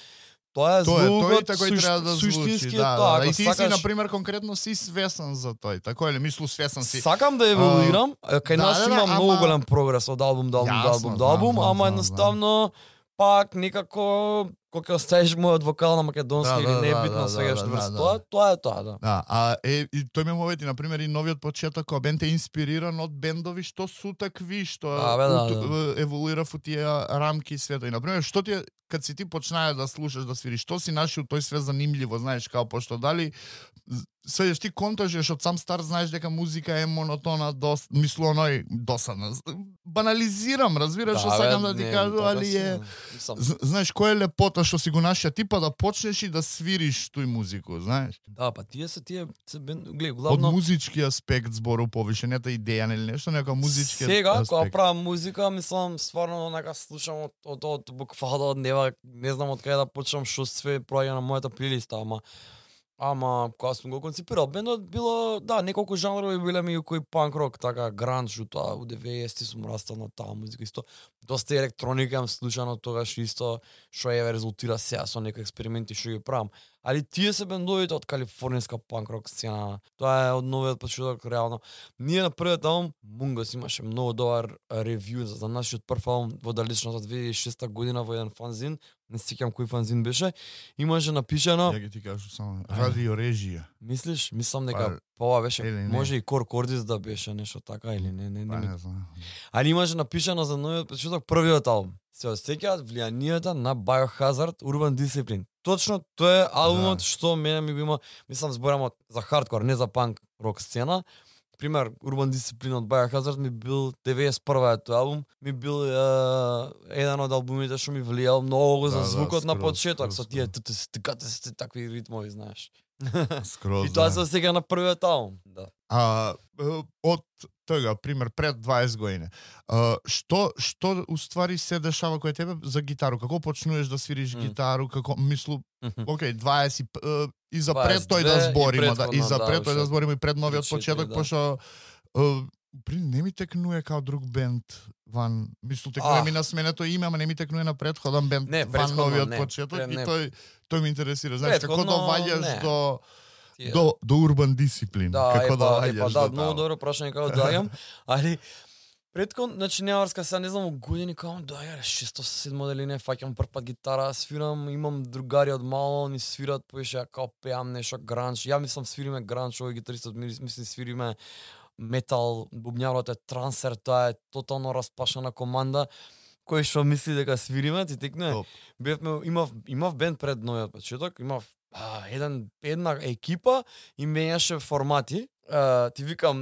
тоа е звукот, тој треба да звучи, тоа. И ти си на пример конкретно си свесен за тој, тако или мислу свесен си. Сакам да еволуирам, кај нас има многу голем прогрес од албум до албум, ама едноставно пак некако кога ќе оставиш мојот вокал на македонски или не е битно сега што врз тоа е тоа, да. Да, и тој ме мовети на пример и новиот почеток кога бенд е инспириран од бендови што су такви, што еволуира во тие рамки и свето. И на пример што ти кад си ти почнае да слушаш, да свириш, што си нашил тој све занимљиво, знаеш, као пошто дали свејаш ти контажеш од сам старт, знаеш дека музика е монотона, мислу оној досадна. Банализирам, разбираш што сакам да ти кажу, али е знаеш кој е лепота што си го нашија ти па да почнеш и да свириш тој музику, знаеш? Да, па тие гледај, главно од музички аспект збору повише, не та идеја или нешто, нека музички сега, аспект. Сега кога правам музика, мислам стварно нека слушам од буквално од нева, не знам од каде да почнам, што све проаѓа на мојата плейлиста, ама кога сум го концепирал бендот било, да, неколку жанрови биле ми кој панк рок, така гранж, тоа у 90-ти сум растал на таа музика исто. Доста електроника имам слушано тогаш исто, што резултира сега со некои експерименти што ги правам. Али тие се бендовите од калифорнијска панк рок сцена. Тоа е од новиот почеток реално. Ние на првиот албум Мунгас имаше многу добар ревју за нашиот прв албум во далечната 2006 година во еден фанзин. Не се сеќам кој фанзин беше. Имаше напишано. Ја ги ти кажу само радио режија. Мислиш? Мислам дека ова беше. Може и Кор Кордис да беше нешто така или не. Не знам. Али имаше напишано за новиот почеток првиот албум. Се осеќаат влијанието на Biohazard, Urban Discipline. точно тоа е албумот што мене ми го има, мислам зборам за хардкор, не за панк рок сцена. Пример, Urban Discipline од Biohazard ми бил 91-та тој албум, ми бил еден од албумите што ми влијал многу за звукот на почеток, со тие такви ритмови, знаеш. Скроз. И тоа се сега на првиот албум, да. Од тога, пример, пред 20 години, што уствари се дешава кој тебе за гитару? Како почнуваш да свириш гитару? Како, мислу, окей, 20, и за пред тој да збориме, и за пред тој да збориме и пред новиот почеток, пошто не ми текнуе као друг бенд ван, мислу, текнуе ми на сменето име, ама не ми текнуе на предходен бенд ван новиот почеток, и тој ми интересира. Знаеш, како доваѓаш до Urban Discipline, како доваѓаш до многу добро прашање како доаѓам, али предкон, значи неаварска сега не знам години како доаѓа 6-7 дали не фаќам прв пат гитара, свирам, имам другари од мало, ни свират, поише као пеам нешто гранж. Ја мислам свириме гранж, овој гитаристот мисли свириме метал, бубњарот е трансер, тоа е тотално распашана команда. Кој што мисли дека свириме, ти текне. Бевме, имав бенд пред новиот почеток, имав една екипа и менјаше формати. Ти викам,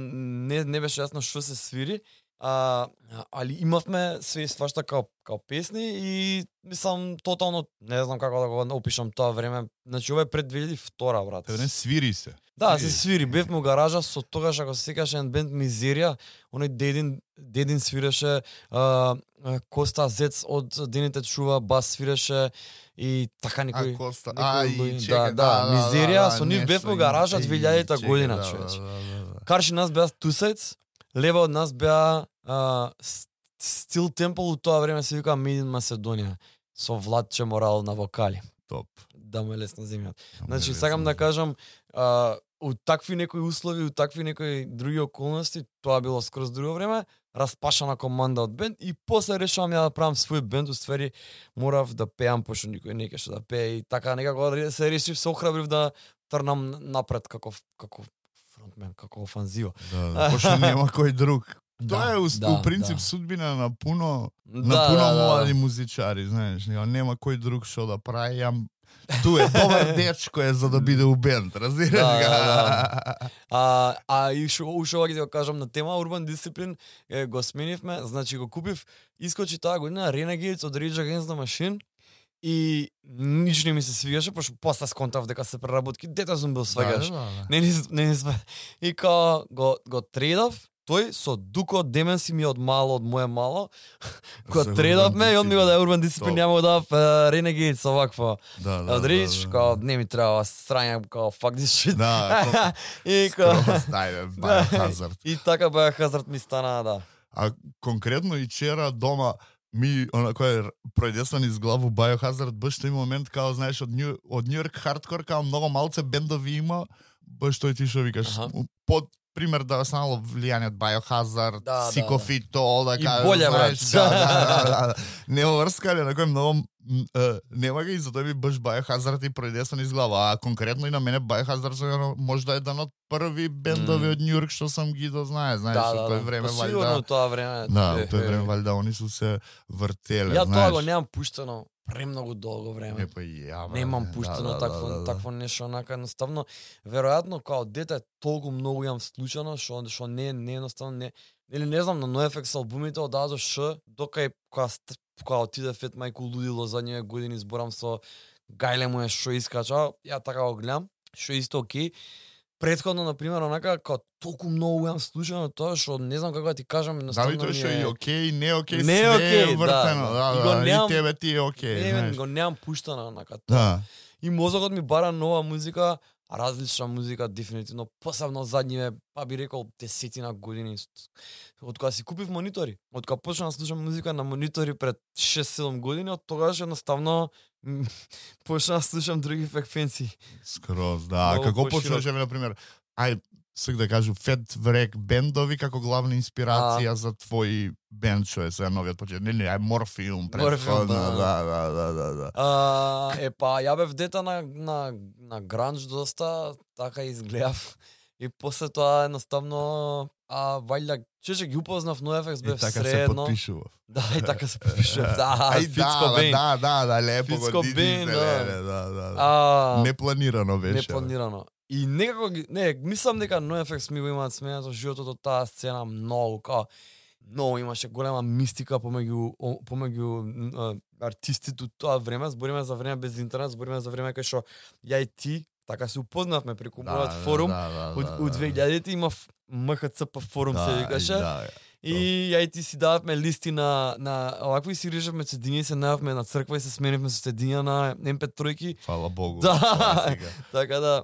не беше јасно што се свири, али имавме све свашта као песни и мислам тотално не знам како да го опишам тоа време. Значи ова е пред 2002 брат. Не свири се. Да, се свири. Бевме у гаража со тогаш ако се сеќаш еден бенд Мизерија, оној Дедин свиреше, Коста Зец од Дените чува бас свиреше и така некој. Мизерија, со нив бевме у гаража 2000-та година, човече. Карши нас беа Тусајц, лева од нас беа Стил Темпл, у тоа време се вика Made in Macedоnia, со Владче Морал на вокали. Топ. Да му е лесно земјата. Значи, сакам да кажам, у такви некои услови, у такви некои други околности, тоа било скроз друго време, распашана команда од бенд и после решавам ја да правам свој бенд, уствари морав да пеам, пошто никој не кеше да пее и така некако се решив, се охрабрив да трнам напред како фронтмен, како офанзива. Пошто нема кој друг. Тоа е у принцип судбина на пуно млади музичари, знаеш, нема кој друг што да прави, ту е добар дечко е за да биде у бенд, разбираш га? И ушо ќе го кажам на тема Urban Discipline, го сменивме, значи го купив, искочи таа година Renegades од Rage Against the Machine и ниш не ми се свигаше, пошто после сконтав дека се преработки, дете сум бил свегаш. Не све. И као го трейдав, тој со Дуко Деменси ми од моje мало, кога тредавме и он ми го да Urban Discipline, ја му дав Renegades оваква. Од Рич, као не ми треба срања, као fuck this shit. И Biohazard. И така Biohazard ми стана, да. А конкретно и вчера дома ми онако пројдесна низ главу Biohazard, баш тој момент као знаеш од Нью Йорк хардкор, као многу малце бендови има, баш тој ти што викаш, под пример да станало влијание од Biohazard, Сикофито, да кажа, и боле, брат. Не врскале, на кој многу нема ги, затоа би баш Biohazard и пројдесна низ глава, а конкретно и на мене Biohazard може да е еден од први бендови од Њујорк што сам ги знаеш, тој време валјда. Сигурно тоа време. Да, тој време валјда они су се вртеле, знаеш. Ја тоа го немам пуштено премногу долго време. Немам пуштено такво нешто, онака едноставно, веројатно као дете толку многу јам случано што не едноставно не, или не знам, на NoFX албумите од А до Ш, докај кога отиде Фет Мајку лудило задниве години, зборам со Гајле му е што искача, ја така го гледам, што исто окей. Претходно, например, онака, као толку многу јам слушано тоа, што не знам како да ти кажам, едноставно тоа што и окей, не окей, све е вртено, и тебе ти е окей, знаеш. Го немам пуштано, онака, тоа. И мозокот ми бара нова музика, различна музика, дефинитивно, посебно задниве, па би рекол, 10 години. Од кога си купив монитори, од кога почнав да слушам музика на монитори пред 6-7 години, од тогаш едноставно почнав да слушам други фреквенции. Скроз, да. Како почнаш, например, сак да кажу, Фет Врек бендови како главна инспирација за твој бенд, што е сега новиот почеток. Не, Морфиум, предходно, да. Па, ја бев дета на гранж доста, така изгледав. И после тоа едноставно вајда че ги упознав NoFX бев така се средно. потпишував. Да, и така се подпишував. Да, Ај, Фицко Бейн. да, лепо Фицко го Бейн, да. Непланирано беше. Непланирано. И некако мислам дека NoFX ми го имаат сменато животот од таа сцена многу, многу имаше голема мистика помеѓу артистите од тоа време, збориме за време без интернет, збориме за време кај што ја и ти така се упознавме преку мојот форум. Од 2000-ти има МХЦП форум се викаше. И ја и ти си дававме листи на овакви си режевме цедини, се најавме на црква и се сменивме со цединја на MP3-ки. Фала Богу. Да. Така да.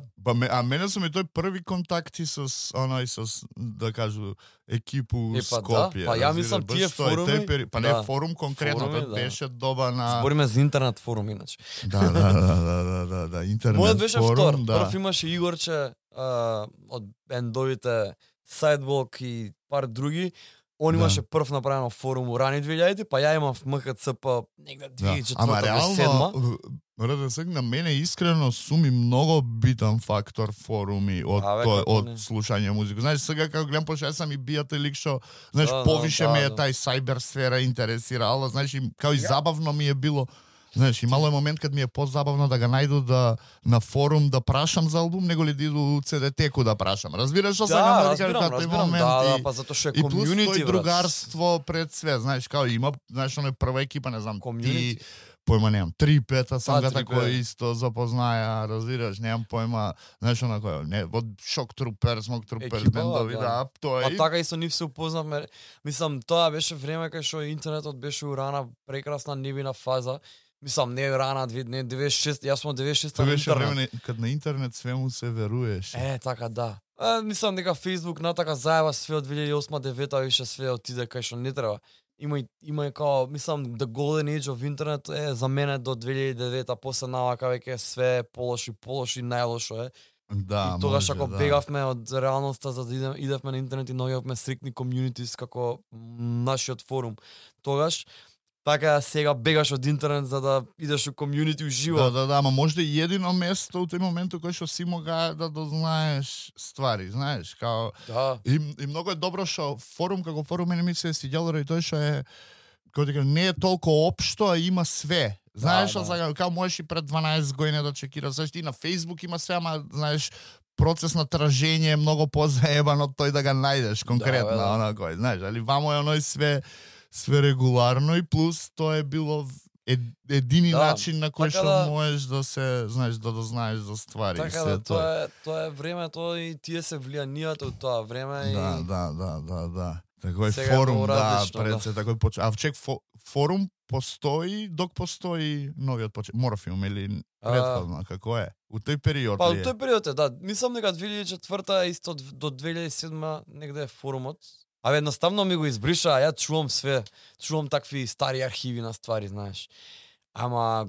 Мене сум и тој први контакти со да кажу екипу Скопје. Па ја мислам тие форуми. Па не форум конкретно, тоа беше доба на. Збориме за интернет форум иначе. Да, интернет форум. Мојот беше втор. Прв имаше Игорче од бендовите Sidewalk и пар други. Он имаше прв направено форум у рани 2000-ти, па ја имав МХЦП негде 2004-2007. Ама реално, РДС на мене искрено суми многу битен фактор форуми од слушање музика. Знаеш, сега како гледам пошто сам и бијате лик што, знаеш, повише ме е тај сайбер сфера интересирала, знаеш, као и забавно ми е било. Знаеш, имало е момент кад ми е позабавно да ga најду на форум да прашам за албум, него ли да иду у CD-теку да прашам. Разбираш што сакам да кажам кај тој момент? Да, па затоа што е комјунити, и плюс тој другарство пред све, знаеш, као има, знаеш, оној прва екипа, не знам, ти, појма немам, 3-5 сам га тако исто запознаја, разбираш, немам појма, знаеш, онако, не, од Шок Трупер, Смок Трупер, бендови, да, тоа е. А така исто нив се упознавме, мислам, тоа беше време кај што интернетот беше урана прекрасна нивина фаза. Мислам, не рана, не 96, јас сум 96 на интернет. Тоа беше време кад на интернет све му се веруеш. Така, да. Мислам дека Facebook натака заева све од 2008-2009, више све отиде кај што не треба. Има и као, мислам, the golden age of интернет е за мене до 2009, после навака веќе све полоши, најлошо е. Да, и тогаш ако бегавме од реалноста за да идевме на интернет и наоѓавме стрикни комјунитис како нашиот форум. Тогаш така сега бегаш од интернет за да идеш у комјунити уживо. Да, ама можда и едино место у тој момент кој што си мога да дознаеш ствари, знаеш, као и многу е добро што форум како форум мене ми се свиѓало и тоа што е како не е толку општо, а има све. Знаеш што сакам, као можеш и пред 12 години да чекираш, знаеш, и на Facebook има све, ама знаеш процес на тражење е многу позаебан од тој да го најдеш конкретно, онако, знаеш, али вамо е оној све регуларно и плюс тоа е било едини начин на кој што можеш да се, знаеш, да дознаеш за ствари. Така да, тоа е времето и тие се влијанијат од тоа време. Да. Такој форум, пред се такој почна. А чек форум постои, док постои новиот почет. Морфиум или претходно, како е? У тој период ли е? Па, у тој период е, да. Мислам дека 2004-та исто до 2007 негде е форумот. Едноставно ми го избриша, ја чувам такви стари архиви на ствари, знаеш. Ама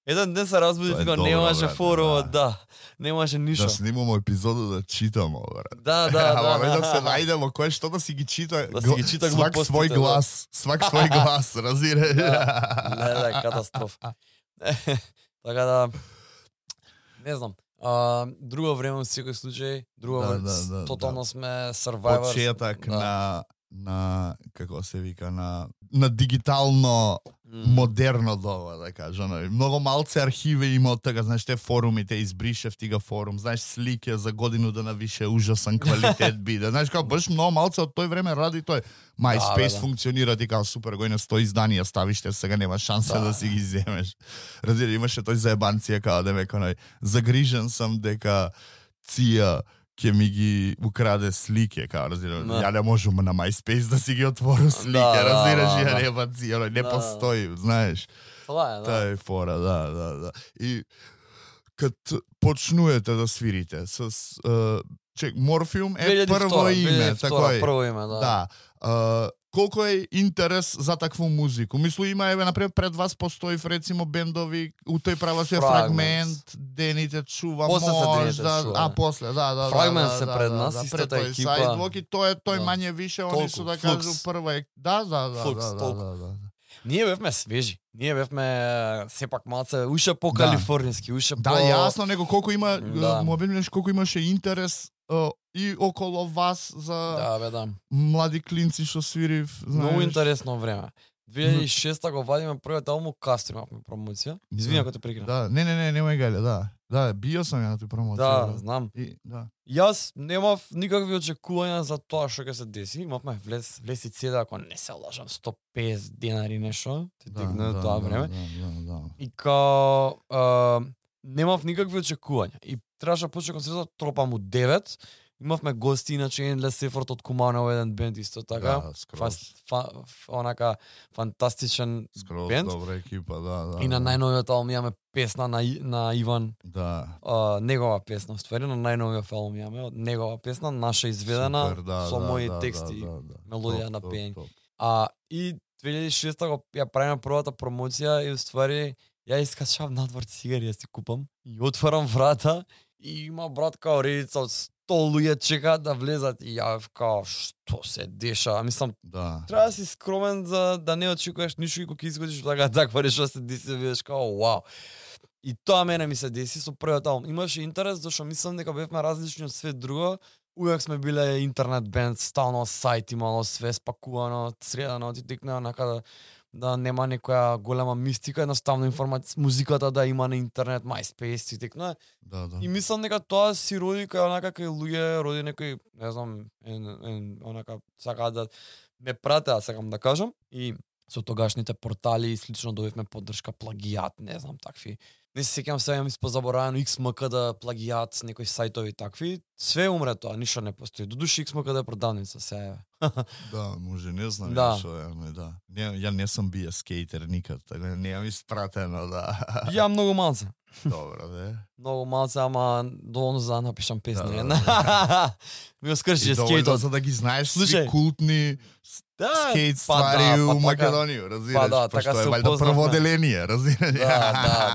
еден ден се разбудив и немаше форумот, немаше ништо. Да снимамо епизоду да читамо, брат. Да. Ама да се најдемо кој што да си ги чита. Свак свој глас, разбираш. Не, катастрофа. Така да, не знам. Друго време во секој случај, тотално сме survivors. Почеток на како се вика на дигитално модерно доба, да кажам. Многу малце архиви има од тога, знаеш, те форумите избришев тига форум, знаеш, слике за годину да навише ужасен квалитет биде. Знаеш, како баш многу малце од тој време ради тој MySpace функционира, ти као супер гој на 100 изданија ставиш, те сега нема шанса да си ги земеш. Разбира, имаше тој заебанција као да ме кој загрижен сам дека ција ќе ми ги украде слике, као, разбираш, ја не можам на MySpace да си ги отворам слике, разбираш, ја нема ција, не постои, знаеш. Таа е фора, да. И кад почнуете да свирите с Морфиум е прво име, прво име, да. Колку е интерес за такву музику? Мислу има, например, пред вас постои рецимо бендови, у тој праваше фрагмент, дените чува, после, да. Фрагмент се пред нас, истата екипа. Сайдвок и тој мање више, они што да кажу прва. Да. Ние бевме свежи. Ние бевме сепак малце уше по калифорниски, уше по... Да, јасно, него колку има, колку имаше интерес и около вас за Да, бе, да. млади клинци што свири, знаеш. Многу интересно време. 2006 го вадиме првиот албум, кастро имавме промоција. Извини ако те прекинав. Да, не, немај гале, да. Да, био сам ја на тој промоција. Да, знам. И, да. Јас немав никакви очекувања за тоа што ќе се деси. Имавме влеси цеда, ако не се лажам, 150 денари нешто. Те тегна тоа време. Да. И као немав никакви очекувања. И требаше да почне концертот, тропам у 9. Имавме гости, иначе Endless Effort од Куманово, еден бенд исто така. Да, скроз. Онака фантастичен Скроз бенд. добра екипа, да. И на најновиот албум имаме песна на Иван. Да. Негова песна, ствари, на најновиот албум имаме негова песна, наша изведена. Супер, да, со мои да, тексти, да. мелодија Топ, на топ, пење. топ. И 2006 го ја правиме првата промоција и уствари ја искачав надвор цигари ја си купам и отварам врата и има брат као редица од 100 луѓе чекаат да влезат и ја као што се деша. Мислам, Да. треба да си скромен за да не очекуваш ништо и кога изгодиш таква нешто се деси, видиш као вау. И тоа мене ми се деси со првиот албум. Имаше интерес зашто мислам дека бевме различни од све друго. Увек сме биле интернет бенд, стално сајт имало све спакувано, средано, ти текна онака да нема некоја голема мистика, едноставно информација, музиката да има на интернет, MySpace, ти текна. Да. И мислам дека тоа си роди кај онака кај луѓе, роди некој, не знам, онака сакаат да ме пратеа, сакам да кажам, и со тогашните портали и слично добивме поддршка, плагијат, не знам, такви. Не се сеќавам сега ми спозаборавено XMK да плагијат, некои сајтови такви. Све умре тоа, ништо не постои. Додуши XMK да е продавница сега. Да, може, не знам Да. што е, да. Ја не сум бија скейтер никад, така немам испратено, да. Ја многу малце. Добро, да. Многу малце, ама доволно за да напишам песни. Да, Да. Ми го скрши И доволно скейтот. за да ги знаеш Слушај. сви култни Да, скейт па ствари да, у па така. Македонија, разбираш? Па да, така Пошто се е валјда упознавме. прво оделение, разбираш?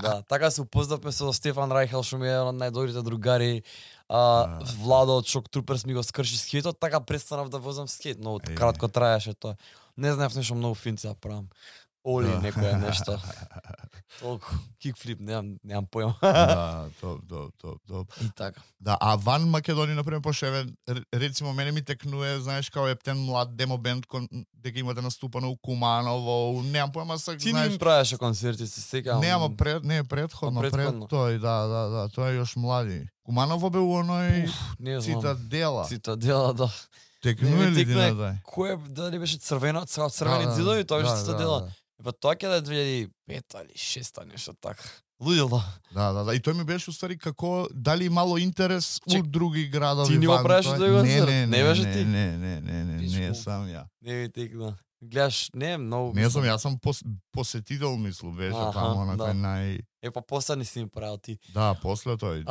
Да. Така се упознавме со Стефан Рајхел, што ми е еден од најдобрите другари. Владо од Шок Труперс ми го скрши скейтот, така престанав да возам скейт, но кратко траеше тоа. Не знаев нешто многу финци да правам. Оли некоја нешто. Толку кикфлип, немам појма. Да, топ. И така. Да, а ван Македонија, например, пошто еве рецимо мене ми текнуе, знаеш, као ептен млад демо бенд дека имате наступано у Куманово, немам појма сак, Ти знаеш. не им правеше концерти, се сеќавам. Нема предходно, пред тој, да, тоа е још млади. Куманово бе у оној Не знам. Цитадела. Да. Текнуе ли ти текнуе на тај? Кој дали беше црвени ѕидови, тоа беше Цитадела. Па тоа ќе да е 2005 или 6 нешто така. Луѓе. Да. И тој ми беше уствари како дали имало интерес у други градови. Ти не го правиш тој концерт? Не беше ти? Не, сам ја. Не ви текна. Гледаш, не многу. Не сум, јас сум посетител, мислу, беше таму на кој нај. Па после не си ми правил ти. Да, после тој.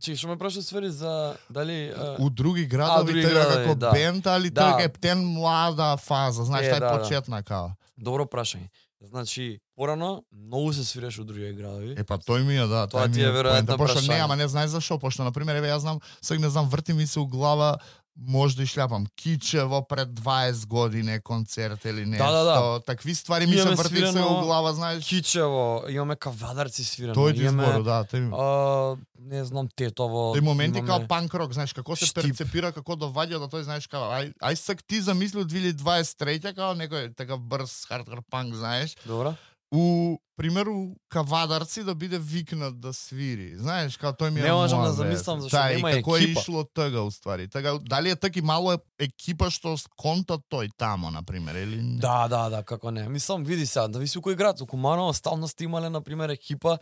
Што ме прашаш свери за дали у други градови тој како бенд, али тој е птен млада фаза, знаеш, тај почетна као. Добро прашање. Значи, порано многу се свиреш у други градови. Па тој ми е, да, тоа ти е веројатно пошто прашање. не, ама не знаеш зашо, пошто на пример еве јас знам, сега не знам, врти ми се у глава може да шљапам Кичево пред 20 години концерт или нешто. Да. Такви ствари ми се врти се у глава, знаеш. Кичево, имаме Кавадарци свирено. Тој ти збору, да, не знам, Тетово. Тој моменти као панк рок, знаеш, како се перцепира, како доваѓа до тој, знаеш, као ај сак ти замисли од 2023 као некој такав брз хардкор панк, знаеш. Добро. У примеру Кавадарци да биде викнат да свири. Знаеш, као тој ми е не можам да замислам зашто нема екипа. Како е ишло тога уствари? Тога дали е таки мало екипа што конта тој тамо на пример или не? Да, како не. Мислам, види сега, да виси у кој град, у Куманово стално сте имале на пример екипа.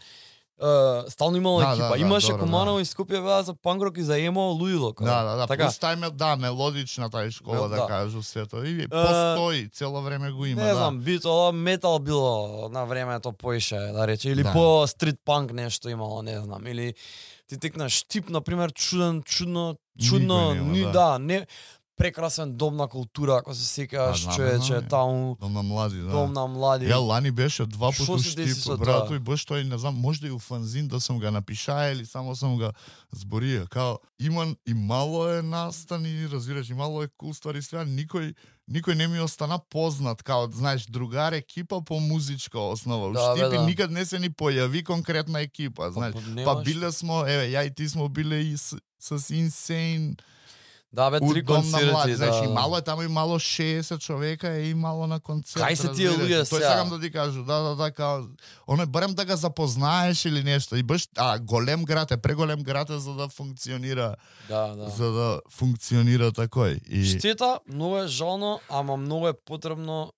Стално имало екипа. Имаше Куманово и Скопје беа за панк-рок и за емо луѓе. Да. Така. Плюс тај мелодична тај школа да кажу сето. И постои, цело време го има, не знам, бито метал било на времето поише, да рече, или по стрит панк нешто имало, не знам, или ти текнаш тип на пример чудно, не прекрасен дом на култура, ако се сеќаваш, човече, таму. Дом на млади, да. Дом на млади. Ја лани беше 2 Шо пати се деси штип, со брато, тоа? и баш тој, не знам, можда и у фанзин да сум га напишаја или само сум га зборија. Као, има и мало е настан и разбираш, и мало е кул ствари свеа, никој не ми остана познат, као, знаеш, другар екипа по музичка основа. У Да, бе, Штипи да. никад не се ни појави конкретна екипа, знаеш. Па немаш. биле смо, еве, ја и ти смо биле и с Insane, Да, бе, у три Дом на млади, концерти, знаеш, да. и мало е таму, и мало 60 човека е и мало на концерт. Кај се тие разбираш? луѓе Тој сега? сакам да ти кажу, да, као, оној барем да га запознаеш или нешто. И баш, голем град е, преголем град е за да функционира, Да. за да функционира такој. И Штета, многу е жално, ама многу е потребно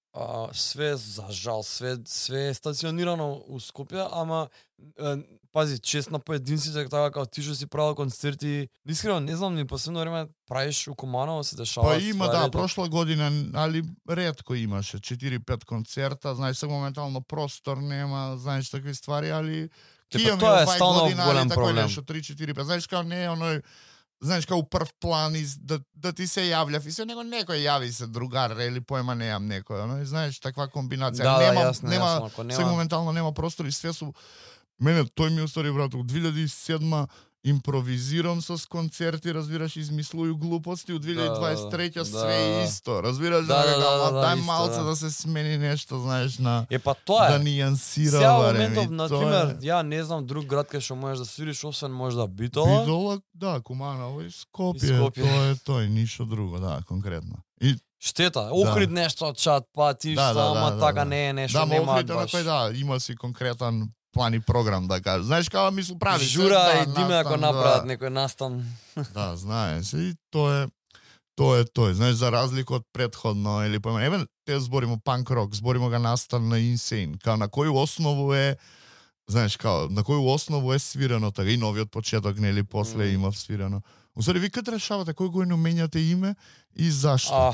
све за жал, све е стационирано у Скопје, ама пази, чест на поединците така како ти што си правил концерти. Искрено не знам ни последно време правиш у Куманово се дешава. па има, да, прошла година, али ретко имаше 4-5 концерта, знаеш, сега моментално простор нема, знаеш, такви ствари, али Тоа е стално голем проблем. 3-4-5, знаеш, као не е оној, знаеш, као прв план да ти се јавлja и се некој јави се другар или поема неам некој, оној, знаеш, таква комбинација. Да, нема, јасно, нема, јасно, ако сега моментално нема простор и све су. Мене тој ми устари, брат, у 2007 импровизирам с концерти, разбираш, измислуju глупости, у 2023 све исто, разбираш, дај малце да се смени нешто, знаеш, на па тоа да е. нијансира Сега барем. моментов, и на тоа пример, е. ја не знам друг град кај што можеш да свириш освен можда Битола. Битола, да, Куманово и И Скопје, Скопје. тоа е тој, ништо друго, да, конкретно. И Штета, Охрид нешто чат, па ти Да, што, да, ама да, така да. не е нешто, да, нема Охрид, баш. кој да, има си конкретен план и програм, да кажеш. Знаеш, како мислу правиш. Жура да, и Диме ако настан, направат да. некој настан. Да, знае се и тоа е тој. Знаеш, за разлика од претходно или поема, еве те зборимо панк рок, зборимо га настан на Insane, као на кој основу е, знаеш, као на кој основу е свирено така и новиот почеток нели после има свирено. Усари ви кад решавате кој го менјате име и зашто?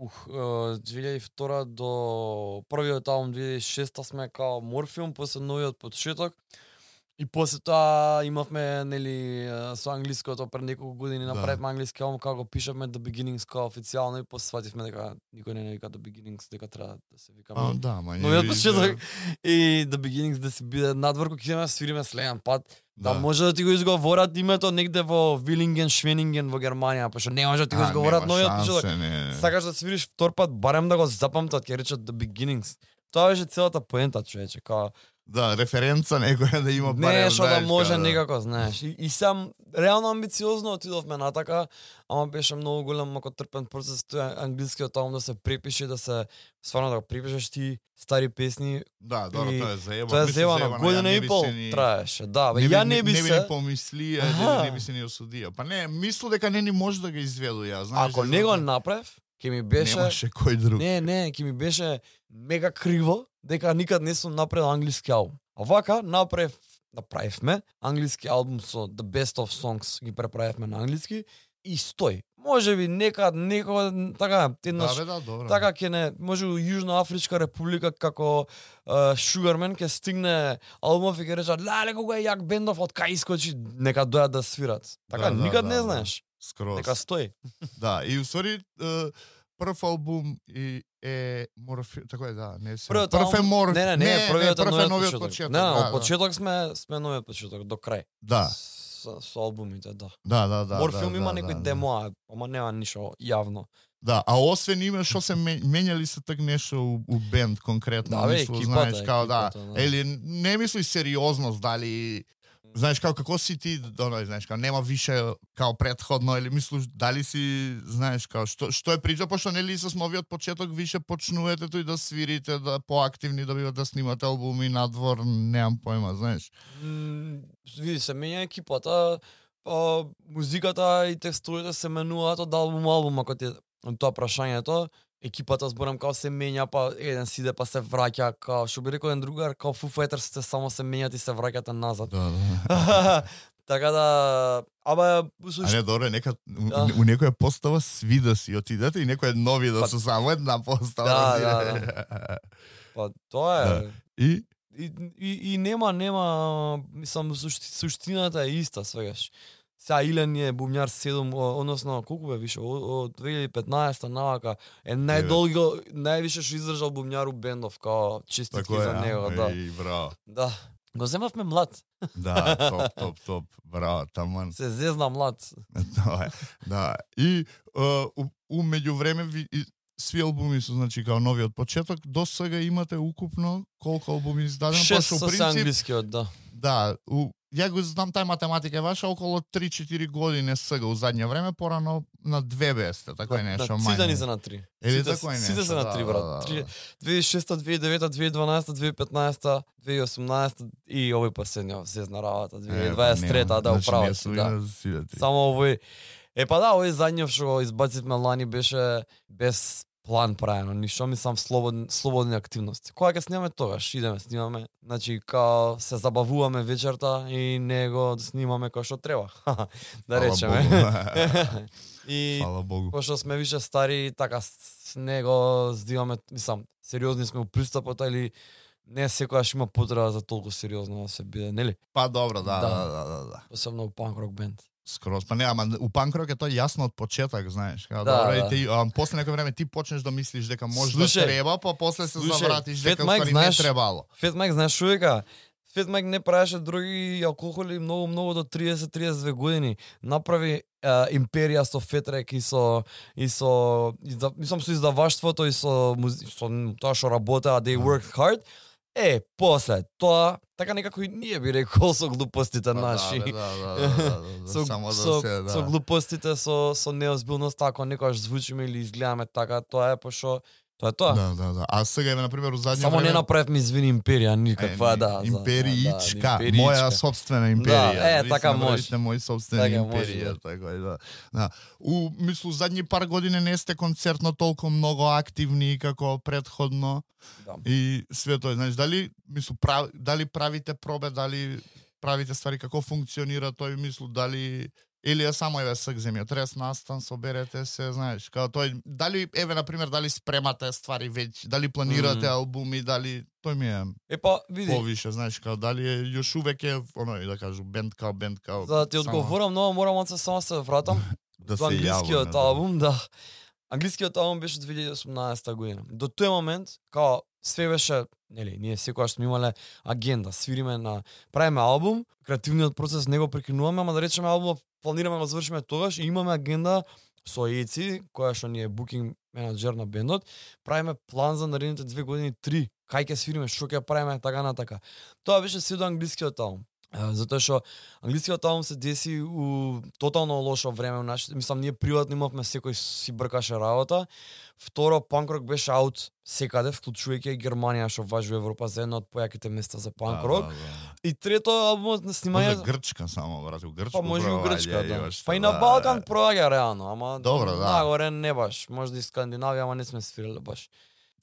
2002 до првиот албум 2006 сме као Морфиум, после новиот почеток. И после тоа имавме нели со англиското пред неколку години направивме англиски албум како го пишавме The Beginnings као официјално и после свативме дека никој не вика The Beginnings, дека треба да се викаме. Да, ма новиот почеток и The Beginnings да се биде надвор кога ќе свириме следен пат. Да може да ти го изговорат името негде во Вилинген, Швенинген во Германија, пошто не може да ти го изговорат новиот почеток. Сакаш да свириш втор пат, барем да го запамтат, ќе речат The Beginnings. Тоа беше целата поента, човече, као да, референца некоја да има барем, нешто да може некако, знаеш. И сам реално амбициозно отидовме натака, ама беше многу голем ако трпен процес тој англискиот албум да се препише, да се стварно да го препишеш ти стари песни. Да, добро, тоа е заебано. Тоа е заебано, година и пол траеше. Да, бе, ја не би се не помислија, не би се ни осудија. Па не, мислу дека не ни може да го изведу ја, знаеш. Ако не го направив, ќе ми беше немаше кој друг. Не, ќе ми беше мега криво дека никад не сум направил англиски албум. А вака направивме англиски албум со The Best of Songs, ги преправивме на англиски и стои. Може би некој така еднаш така ќе не може у Јужна Афричка република како Sugarman ќе стигне албумов и ќе речат леле кога е јак бендов од кај искочи нека дојат да свират. Така никад не знаеш. Скроз. Нека стои. Да, и усвари прв албум и е Морфи, така е, да, не се. Прв е Морфи. Не, првиот е новиот почеток. Не, од почеток сме новиот почеток до крај. Да. Со албумите, да. Да. Морфиум има некој демо, ама нема ништо јавно. Да, а освен име што се менјали се так нешто у бенд конкретно, да, мислу, знаеш, као да, или не мисли сериозност дали знаеш како си ти, знаеш, као нема више као претходно или мислиш дали си, знаеш, као што е прича, пошто нели со новиот почеток више почнувате тој да свирите, да поактивни, да бидете да снимате албуми надвор, немам појма, знаеш. Види се менја екипата, музиката и текстовите се менуваат од албум, ако ти тоа прашањето. Екипата зборам као се менја, па еден сиде па се враќа, као што би рекол еден другар, као Foo Fighters само се менјат и се враќате назад. Да. Така да, ама А не, добре, нека у некоја постава сви да си отидете и некој нови да се само една постава. Да. Па тоа е. И нема, мислам суштината е иста свегаш. Сега Илен е бубњар 7, односно колку бе више, од 2015 навака е највише што издржал бубњар у бендов, као честитки за него, да. Браво. Да. Го земавме млад. Да, топ, браво, таман. Се зезна млад. Да. И у меѓувреме сви албуми се, значи, као нови од почеток, до сега имате укупно колку албуми издадено? 6 со англискиот, да. Да, ја го знам, тај математика е ваша, околу 3-4 години сега, у задње време, порано на 2 бесте, така е нешто мајно. Сите ни се на 3. Сите се на 3, брат. 2006, 2009, 2012, 2015, 2018 и овој последниот сезна работа, 2023, да, управо си, да. Само овој. Па да, овој задњов што го избацивме лани беше без план правено, ништо, мислам слободни активности. Кога ќе снимаме тогаш, идеме, снимаме, значи као се забавуваме вечерта и него снимаме кој што треба. Да речеме. И фала Богу. Пошто сме више стари, така с него здиваме, мислам, сериозни сме у пристапот или не секогаш има потреба за толку сериозно да се биде, нели? Па добро, да. Посебно у панк рок бенд. Скроз, па не, ама у панк рок е тоа јасно од почеток, знаеш. Да, добро, да. И ти, после некој време ти почнеш да мислиш дека може да треба, па после се завратиш дека Mike, не требало. Фет Майк, знаеш што вика? Фет Майк не правеше други алкохоли многу до 30-32 години. Направи империја со Фетрек и со мислам со издаваштвото и со тоа што работеа, they worked hard. После тоа, така некако и ние би рекол со глупостите наши. Со глупостите, со неозбилноста, ако некојаш звучиме или изгледаме така, тоа е пошто тоа е тоа. Да. А сега еве на пример у задње Само не направивме извини империја никаква, да. Империичка, моја собствена империја. Да, така може. Мој собствена империја, така е, да. У мислу задни пар години не сте концертно толку многу активни како претходно. Да. И све тоа, знаеш, дали правите пробе, дали правите ствари, како функционира тој, мислу, дали или е само еве сак земја, трес настан, соберете се, знаеш, као тој, дали еве на пример дали спремате ствари веќе, дали планирате албуми, дали тој ми е па види повише, знаеш, као дали е још увек е оној да кажу бенд као. За да ти одговорам, но морам да само се вратам да до англискиот албум, да. Англискиот албум беше 2018 година. До тој момент, као све беше, нели, ние секогаш сме имале агенда, свириме правиме албум, креативниот процес не го прекинуваме, ама да речеме албумот планираме да завршиме тогаш и имаме агенда со Еци, која што ни е букинг менаџер на бендот, правиме план за наредните 2 години, 3, кај ќе свириме, што ќе правиме, така на така. Тоа беше се до англискиот албум. Затоа што англискиот албум се деси у тотално лошо време, мислам ние приватно имавме секој си бркаше работа. Второ, панк рок беше аут секаде, вклучувајќи Германија што важи во Европа за едно од појаките места за панк рок. И трето, албумот на снимање Грчка само, брат, у Грчка. Па може и у Грчка, да. Па и на Балкан проаѓа реално, ама добро, да. Нагоре не баш, може и Скандинавија, ама не сме свириле баш.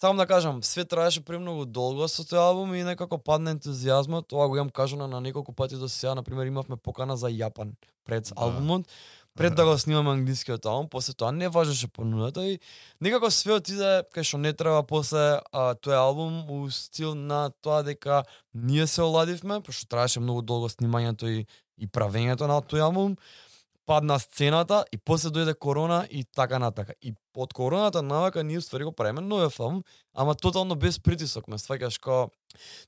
Само да кажам, све траеше премногу долго со тој албум и некако падна ентузијазмот. Тоа го имам кажано на неколку пати до сега, на пример имавме покана за Јапан пред албумот, пред да го снимаме англискиот албум, после тоа не важеше понудата и некако све отиде кај што не треба после тој албум у стил на тоа дека ние се оладивме, пошто траеше многу долго снимањето и правењето на тој албум. Падна сцената и после дојде корона и така натака. И од короната навака ние ствари го правиме нови филм, ама тотално без притисок, ме сваќаш као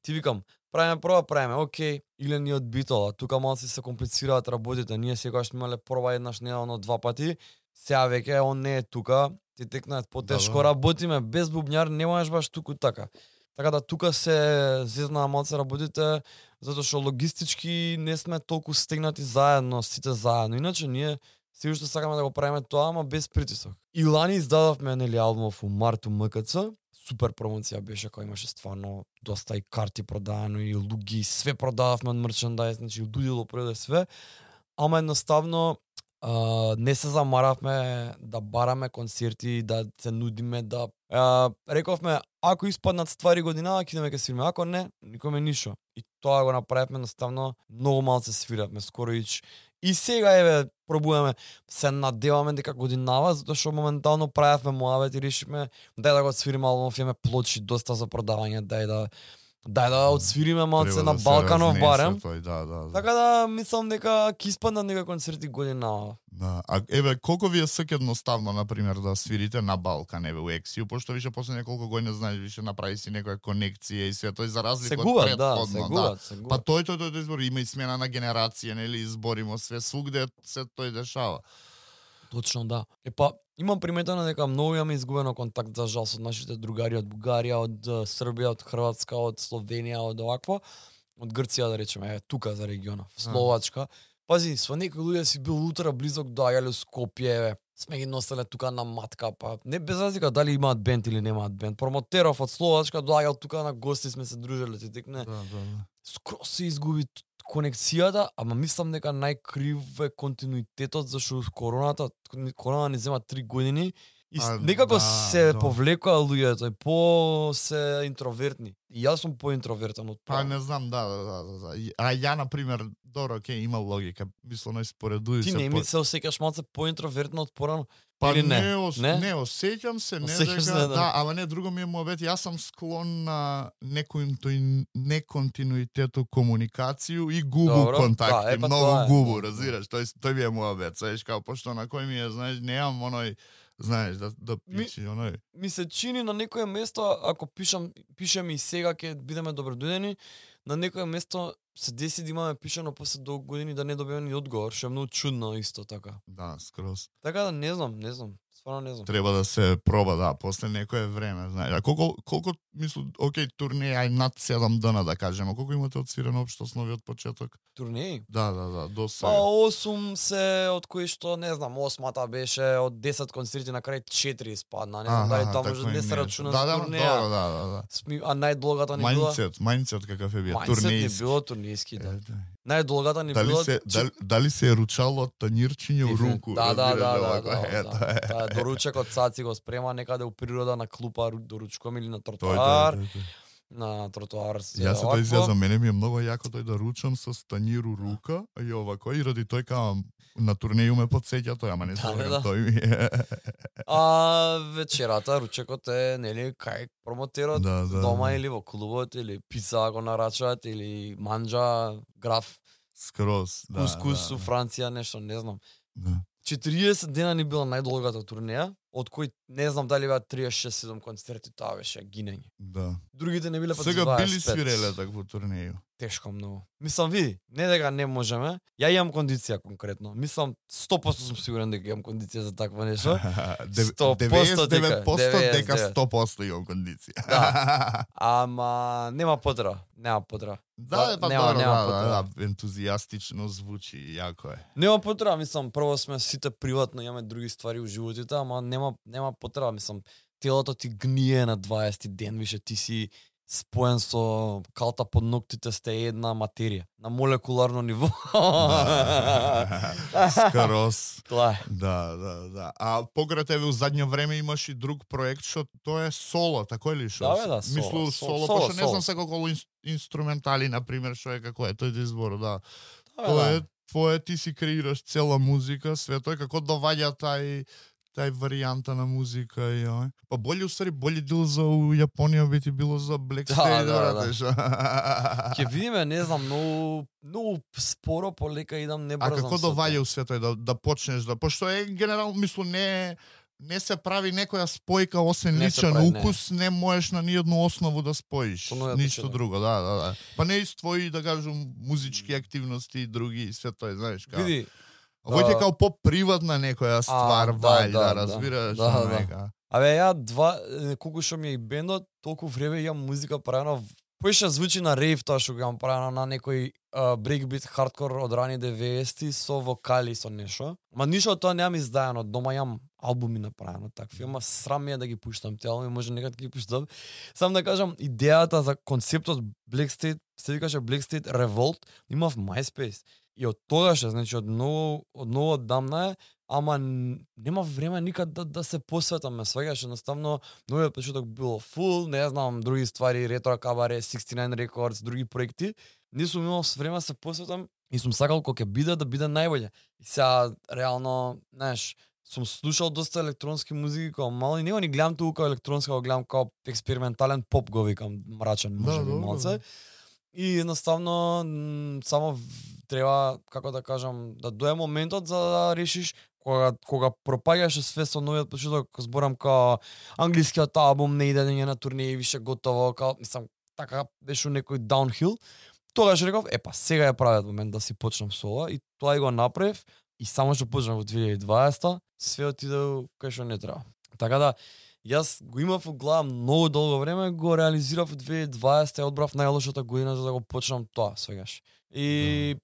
ти викам, правиме, окей, или ни од битола, тука малку се комплицираат работите, ние секогаш сме имале проба еднаш неделно 2 пати, сега веќе он не е тука, ти текнат потешко работиме, без бубњар не можеш баш туку така. Така да тука се зезна малце работите, затоа што логистички не сме толку стегнати заедно, сите заедно. Иначе ние сигурно што сакаме да го правиме тоа, ама без притисок. И лани издадовме нели албумов у март у МКЦ. Супер промоција беше, која имаше стварно доста и карти продадено и луги, све продававме од мерчендајз, значи удудило продаде све. Ама едноставно не се замаравме да бараме концерти, да се нудиме, да рековме ако испаднат ствари година, ќе идеме ке свириме, ако не, никоме ништо. И тоа го направивме едноставно, многу малце свиравме, скоро и сега еве пробуваме, се надеваме дека годинава, затоа што моментално правевме муавет и решивме дај да го свириме албумов, имаме плочи доста за продавање, дај да дај да отсвириме малце Треба на да се Балканов разнесе барем. тој, да. Така да мислам дека ќе испаднат некои концерти година. Да, а еве колку ви е едноставно на пример да свирите на Балкан еве у Ексију, пошто више после неколку години знаеш више направи си некоја конекција и се тој за разлика од претходно, се губат. Па тој избор има и смена на генерација, нели, изборимо све свугде се тој дешава. Точно да. Па имам приметено дека многу имаме изгубено контакт за жал со нашите другари од Бугарија, од Србија, од Хрватска, од Словенија, од овакво, од Грција да речеме, тука за регионот, Словачка. Пази, со некои луѓе си бил утра близок до Ајале Скопје, сме ги носеле тука на матка, па не без разлика дали имаат бенд или немаат бенд. Промотеров од Словачка доаѓал тука на гости, сме се дружеле, ти текне. Скроз се изгуби конекцијата, ама мислам дека најкрив е континуитетот зашто корона ни зема 3 години и некако се повлекоа луѓето, по се интровертни. И јас сум поинтровертен од Па не знам, да. А ја на пример, добро, има логика. Мислам споредуј се. Ти не се осеќаш малце поинтровертно од порано? Па или не осеќам се, не дека, да, ама не, друго ми е муабет, јас сум склон на неконтинуитет у комуникацију и губу контакти, многу губу, разбираш, тој ми е муабет, знаеш, као пошто на кој ми е, знаеш, неам оној, знаеш, да пичи оној. Ми се чини на некое место, ако пишем и сега ќе бидеме добродојдени, на некое место се деси да имаме пишано после долго години да не добиеме ни одговор, што е многу чудно исто така. Да, скроз. Така да не знам, стварно не знам. Треба да се проба, да, после некое време, знаеш. А колку мислам, окей, турнеја над 7 дена да кажеме, колку имате отсвирено општо с новиот почеток? Турнеи? Да, до сега. Па 8 се, од кои што, не знам, 8-та беше од 10 концерти на крај 4 испадна, не знам дали тоа може не се рачуна за турнеја. Да. А најдолгата ни била... Мајндсет какав е бил, турнејски. Било турнејски, да. Најдолгата ни била... Дали се е ручало од танирчиње у руку? Да. Доручекот Цаци го спрема некаде у природа на клупа доручком или на тротоар. На тротоар се. Јас се тој изјазам, мене ми е многу јако тој да ручам со станир у рука и овако и ради тој каам на турнеју ме подсеќа тој, ама не се тој ми е. А вечерата ручекот е нели кај промотерот дома или во клубот или пица го нарачаат или манџа, граф. Скроз, да. Кускус у Франција, нешто, не знам. Да. 40 дена ни била најдолгата турнеја, од кои не знам дали беа 36-7 концерти, тоа беше гинење. Да. Другите не биле па 25. Сега били свиреле такво турнеју. Тешко многу. Мислам, види, не дека не можеме, ја имам кондиција конкретно. Мислам, 100% сум сигурен дека имам кондиција за такво нешто. 99% дека 100% имам кондиција. Да. Ама нема потреба. Да, па да, ентузијастично звучи, јако е. Нема потреба, мислам, прво сме сите приватно, имаме други ствари у животите, ама нема потреба, мислам, телото ти гние на 20 ден, више ти си споен со калта под ноктите, сте една материја на молекуларно ниво. Скроз. Тоа е. Да. А покрај тебе у задње време имаш и друг проект што тоа е соло, тако ли што? Да, соло, пошто не знам се колку инструментали на пример што е како е тој избор, да. Тоа е твое, ти си креираш цела музика, све тоа како доваѓа тај варијанта на музика и па боле дел за Јапонија би ти било за Black State, да. Ќе видиме, не знам, многу споро, полека идам, не брзам. А како доваѓа у све тој да почнеш пошто е генерално мислам не се прави некоја спојка освен личен укус, не можеш на ниедну основу да споиш, ништо друго, да. Па не из твои, да кажам, музички активности и други и све тоа, знаеш како. Види, Овој е као по-приватна некоја ствар, да, разбираш, да. Абе, ја колку што ми е и бендот, толку време имам музика правена, поише звучи на рейв тоа што го имам правено на некој брейкбит хардкор од рани 90-ти со вокали со нешто. Ма ништо тоа немам издаено, дома имам албуми направено такви, ама срам ми е да ги пуштам те албуми, може некад ги пуштам. Сам да кажам, идејата за концептот Black State, се викаше Black State Revolt, има в MySpace. И од тогаш, значи од многу одамна е, ама нема време никад да се посветам, ме сваѓаш, едноставно новиот почеток било фул, не знам, други ствари, Ретро Кабаре, 69 Records, други проекти, не сум имал време да се посветам и сум сакал кога ќе биде да биде најбоље. И сега реално, знаеш, сум слушал доста електронски музики као мал и него ни гледам тука као електронска, го гледам као експериментален поп, го викам мрачен, може би малце. И едноставно само треба, како да кажам, да дое моментот за да решиш кога пропаѓаш све со новиот почеток, зборам као англискиот албум не иде на турнеи више готово, као мислам така беше некој даунхил. Тогаш реков, сега е правиот момент да си почнам со ова и тоа и го направив и само што почнав во 2020 све отиде кај што не треба. Така да јас го имав во глава многу долго време, го реализирав во 2020 и одбрав најлошата година за да го почнам тоа свегаш. И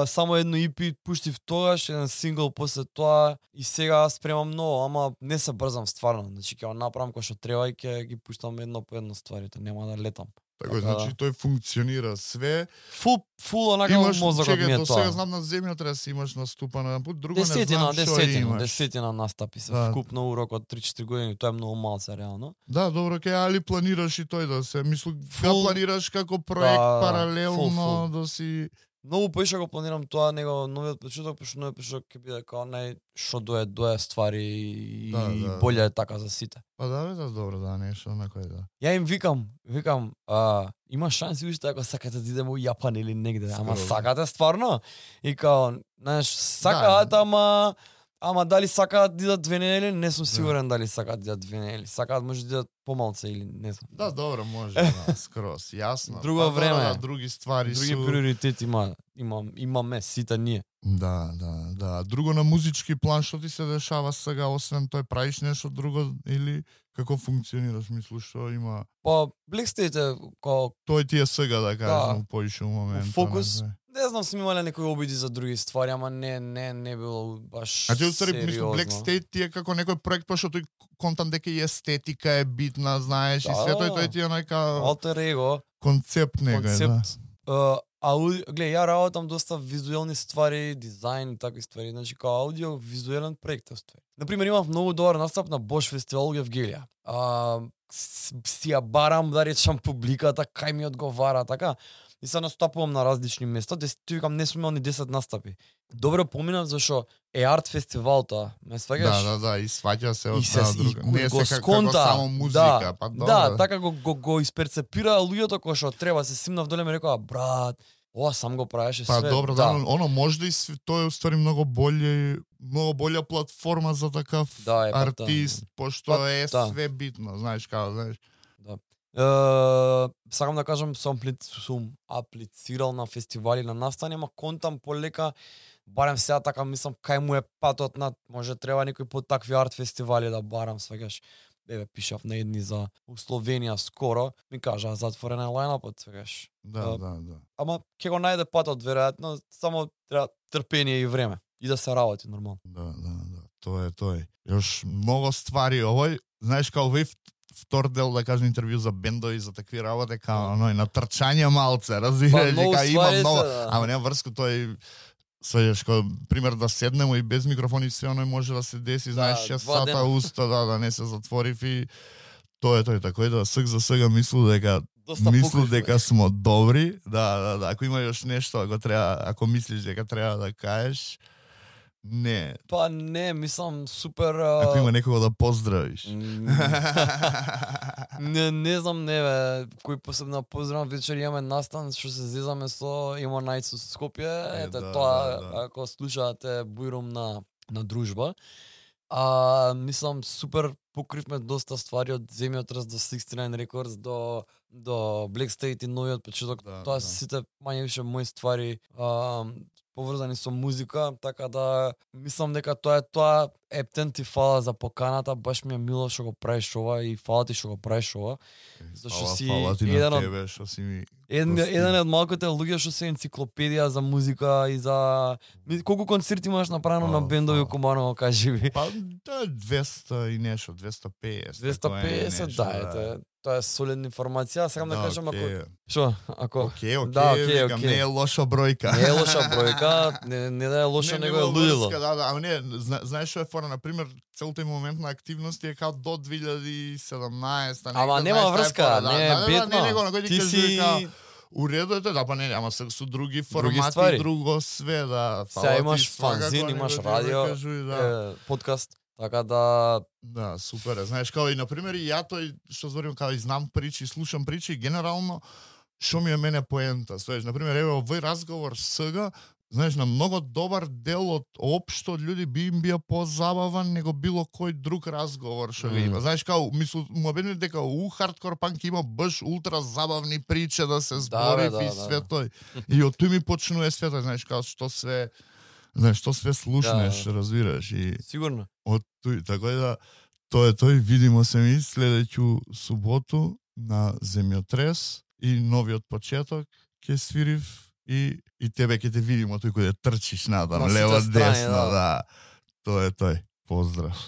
само едно EP пуштив тогаш, еден сингл после тоа и сега спремам ново, ама не се брзам стварно. Значи ќе го направам кој што треба и ќе ги пуштам едно по едно стварите, нема да летам. Така, значи тој функционира све. Фул онака мозокот ми е тоа. До сега знам на земјата да си имаш наступано на пут, друго не знам што имаш. Десетина настапи се вкупно урок од 3-4 години, тоа е многу малце реално. Да, добро, али планираш и тој да се, мислам, планираш како проект паралелно да си... Многу поише го планирам тоа, него новиот почеток, пошто новиот почеток ќе биде као што дое ствари и боле е така за сите. Па да, добро, да, нешто некој да. Ја им викам, има шанси уште ако сакате да идеме во Јапан или негде, ама сакате стварно? И као, знаеш, сакаат, ама дали сакаат да идат 2 недели, не сум сигурен дали сакаат да идат 2 недели. Сакаат може да идат помалце или не знам. Да, добро, може, скрос, јасно. Друго време, други ствари други приоритети имаме сите ние. Да. Друго на музички план што ти се дешава сега, освен тој, правиш нешто друго или како функционираш, мислиш што има? Па, Blackstate као тој ти е сега да кажам, поише момент. Фокус. Не знам, сум имале некои обиди за други ствари, ама не било баш сериозно. А ти мислам, Blackstate ти е како некој проект, пошто тој контам дека и естетика е битна, знаеш, и све тој ти е нека алтер его концепт некој, да. Гледа, ја работам доста визуелни ствари, дизајн и такви ствари, значи као аудио визуелен проект ствари. Например, имав многу добар настап на Bosch фестивал во Евгелија. Си ја барам да речам публиката, кај ми одговара, така. И се настапувам на различни места, ти викам не сум имал ни 10 настапи. Добро поминав зашо е арт фестивал тоа, ме сваќаш? Да, и сваќа се од друга. Не се како само музика, па добро. Да, така го исперцепира луѓето кои што треба, се симнав доле ми рекоа, брат, ова сам го правеше све. Па добро, да, оно може да и тоа е уствари многу болја платформа за такав артист, пошто е све битно, знаеш како, знаеш. Сакам да кажам, сум аплицирал на фестивали на настани, ама контам полека, барем сега така мислам, кај му е патот над, може треба некој по такви арт фестивали да барам, свегаш. Пишав на едни за Словенија скоро, ми кажа затворена лајнапот, свегаш. Да. Ама ќе го најде патот веројатно, само треба трпение и време и да се работи нормално. Да. Тоа е. Још многу ствари овој, знаеш као овој втор дел, да кажем, интервју за бендови, за такви работи, као на трчање малце, разбираш, дека има многу, ама нема врско тој свејаш, како пример да седнемо и без микрофони све оној може да се деси, знаеш, 6 сата уста, да не се затворив и тоа е тако да за сега мислу дека смо добри, да, ако има још нешто, ако мислиш дека треба да кажеш, не. Па не, мислам супер... Ако има некого да поздравиш. Не знам, кој посебно поздравам, вечер имаме настан, што се зезаме со Има Најц со Скопје, тоа, ако слушате Бујрум на дружба. Мислам, супер покривме доста ствари од Земјотрес до 69 Records до Blackstate и новиот почеток. Тоа се сите мање више мои ствари поврзани со музика, така да мислам дека тоа Ептен ти фала за поканата, баш ми е мило што го правиш ова и фала ти што го правиш ова. Зашто си еден од малките луѓе што се енциклопедија за музика и за колку концерти имаш направено на бендови Куманово, кажи ми. Па 200 и нешто, 250. 250, да, тоа е солидна информација, сакам да кажам ако Окей, не е лоша бројка. Не е лоша бројка, не да е лоша, него е лудило. Да, ама не, знаеш што е фора, на пример, целој момент на активности е као до 2017. Ама нема врска, не е битно. Ти си уредете, да, па не, ама се со други формати, друго све, да. Сега имаш фанзин, имаш радио, подкаст. Така да Да, супер е. Знаеш, као и на пример и ја тој што зборим као и знам причи, слушам причи, генерално што ми е мене поента. Знаеш, на пример еве овој разговор сега, знаеш, на многу добар дел од општо од луѓе би им бија позабаван него било кој друг разговор што ви има. Знаеш, као му бене дека хардкор панк има баш ултра забавни причи да се збори и све тој. И од тој ми почнува свето, знаеш, као што све слушнеш, разбираш и сигурно. од тој, така да тоа е тој, видимо се ми следеќу суботу на Земјотрес и новиот почеток ќе свирив и тебе ќе те видимо тој кој трчиш надам, лево десно, да. Тоа е тој. Поздрав.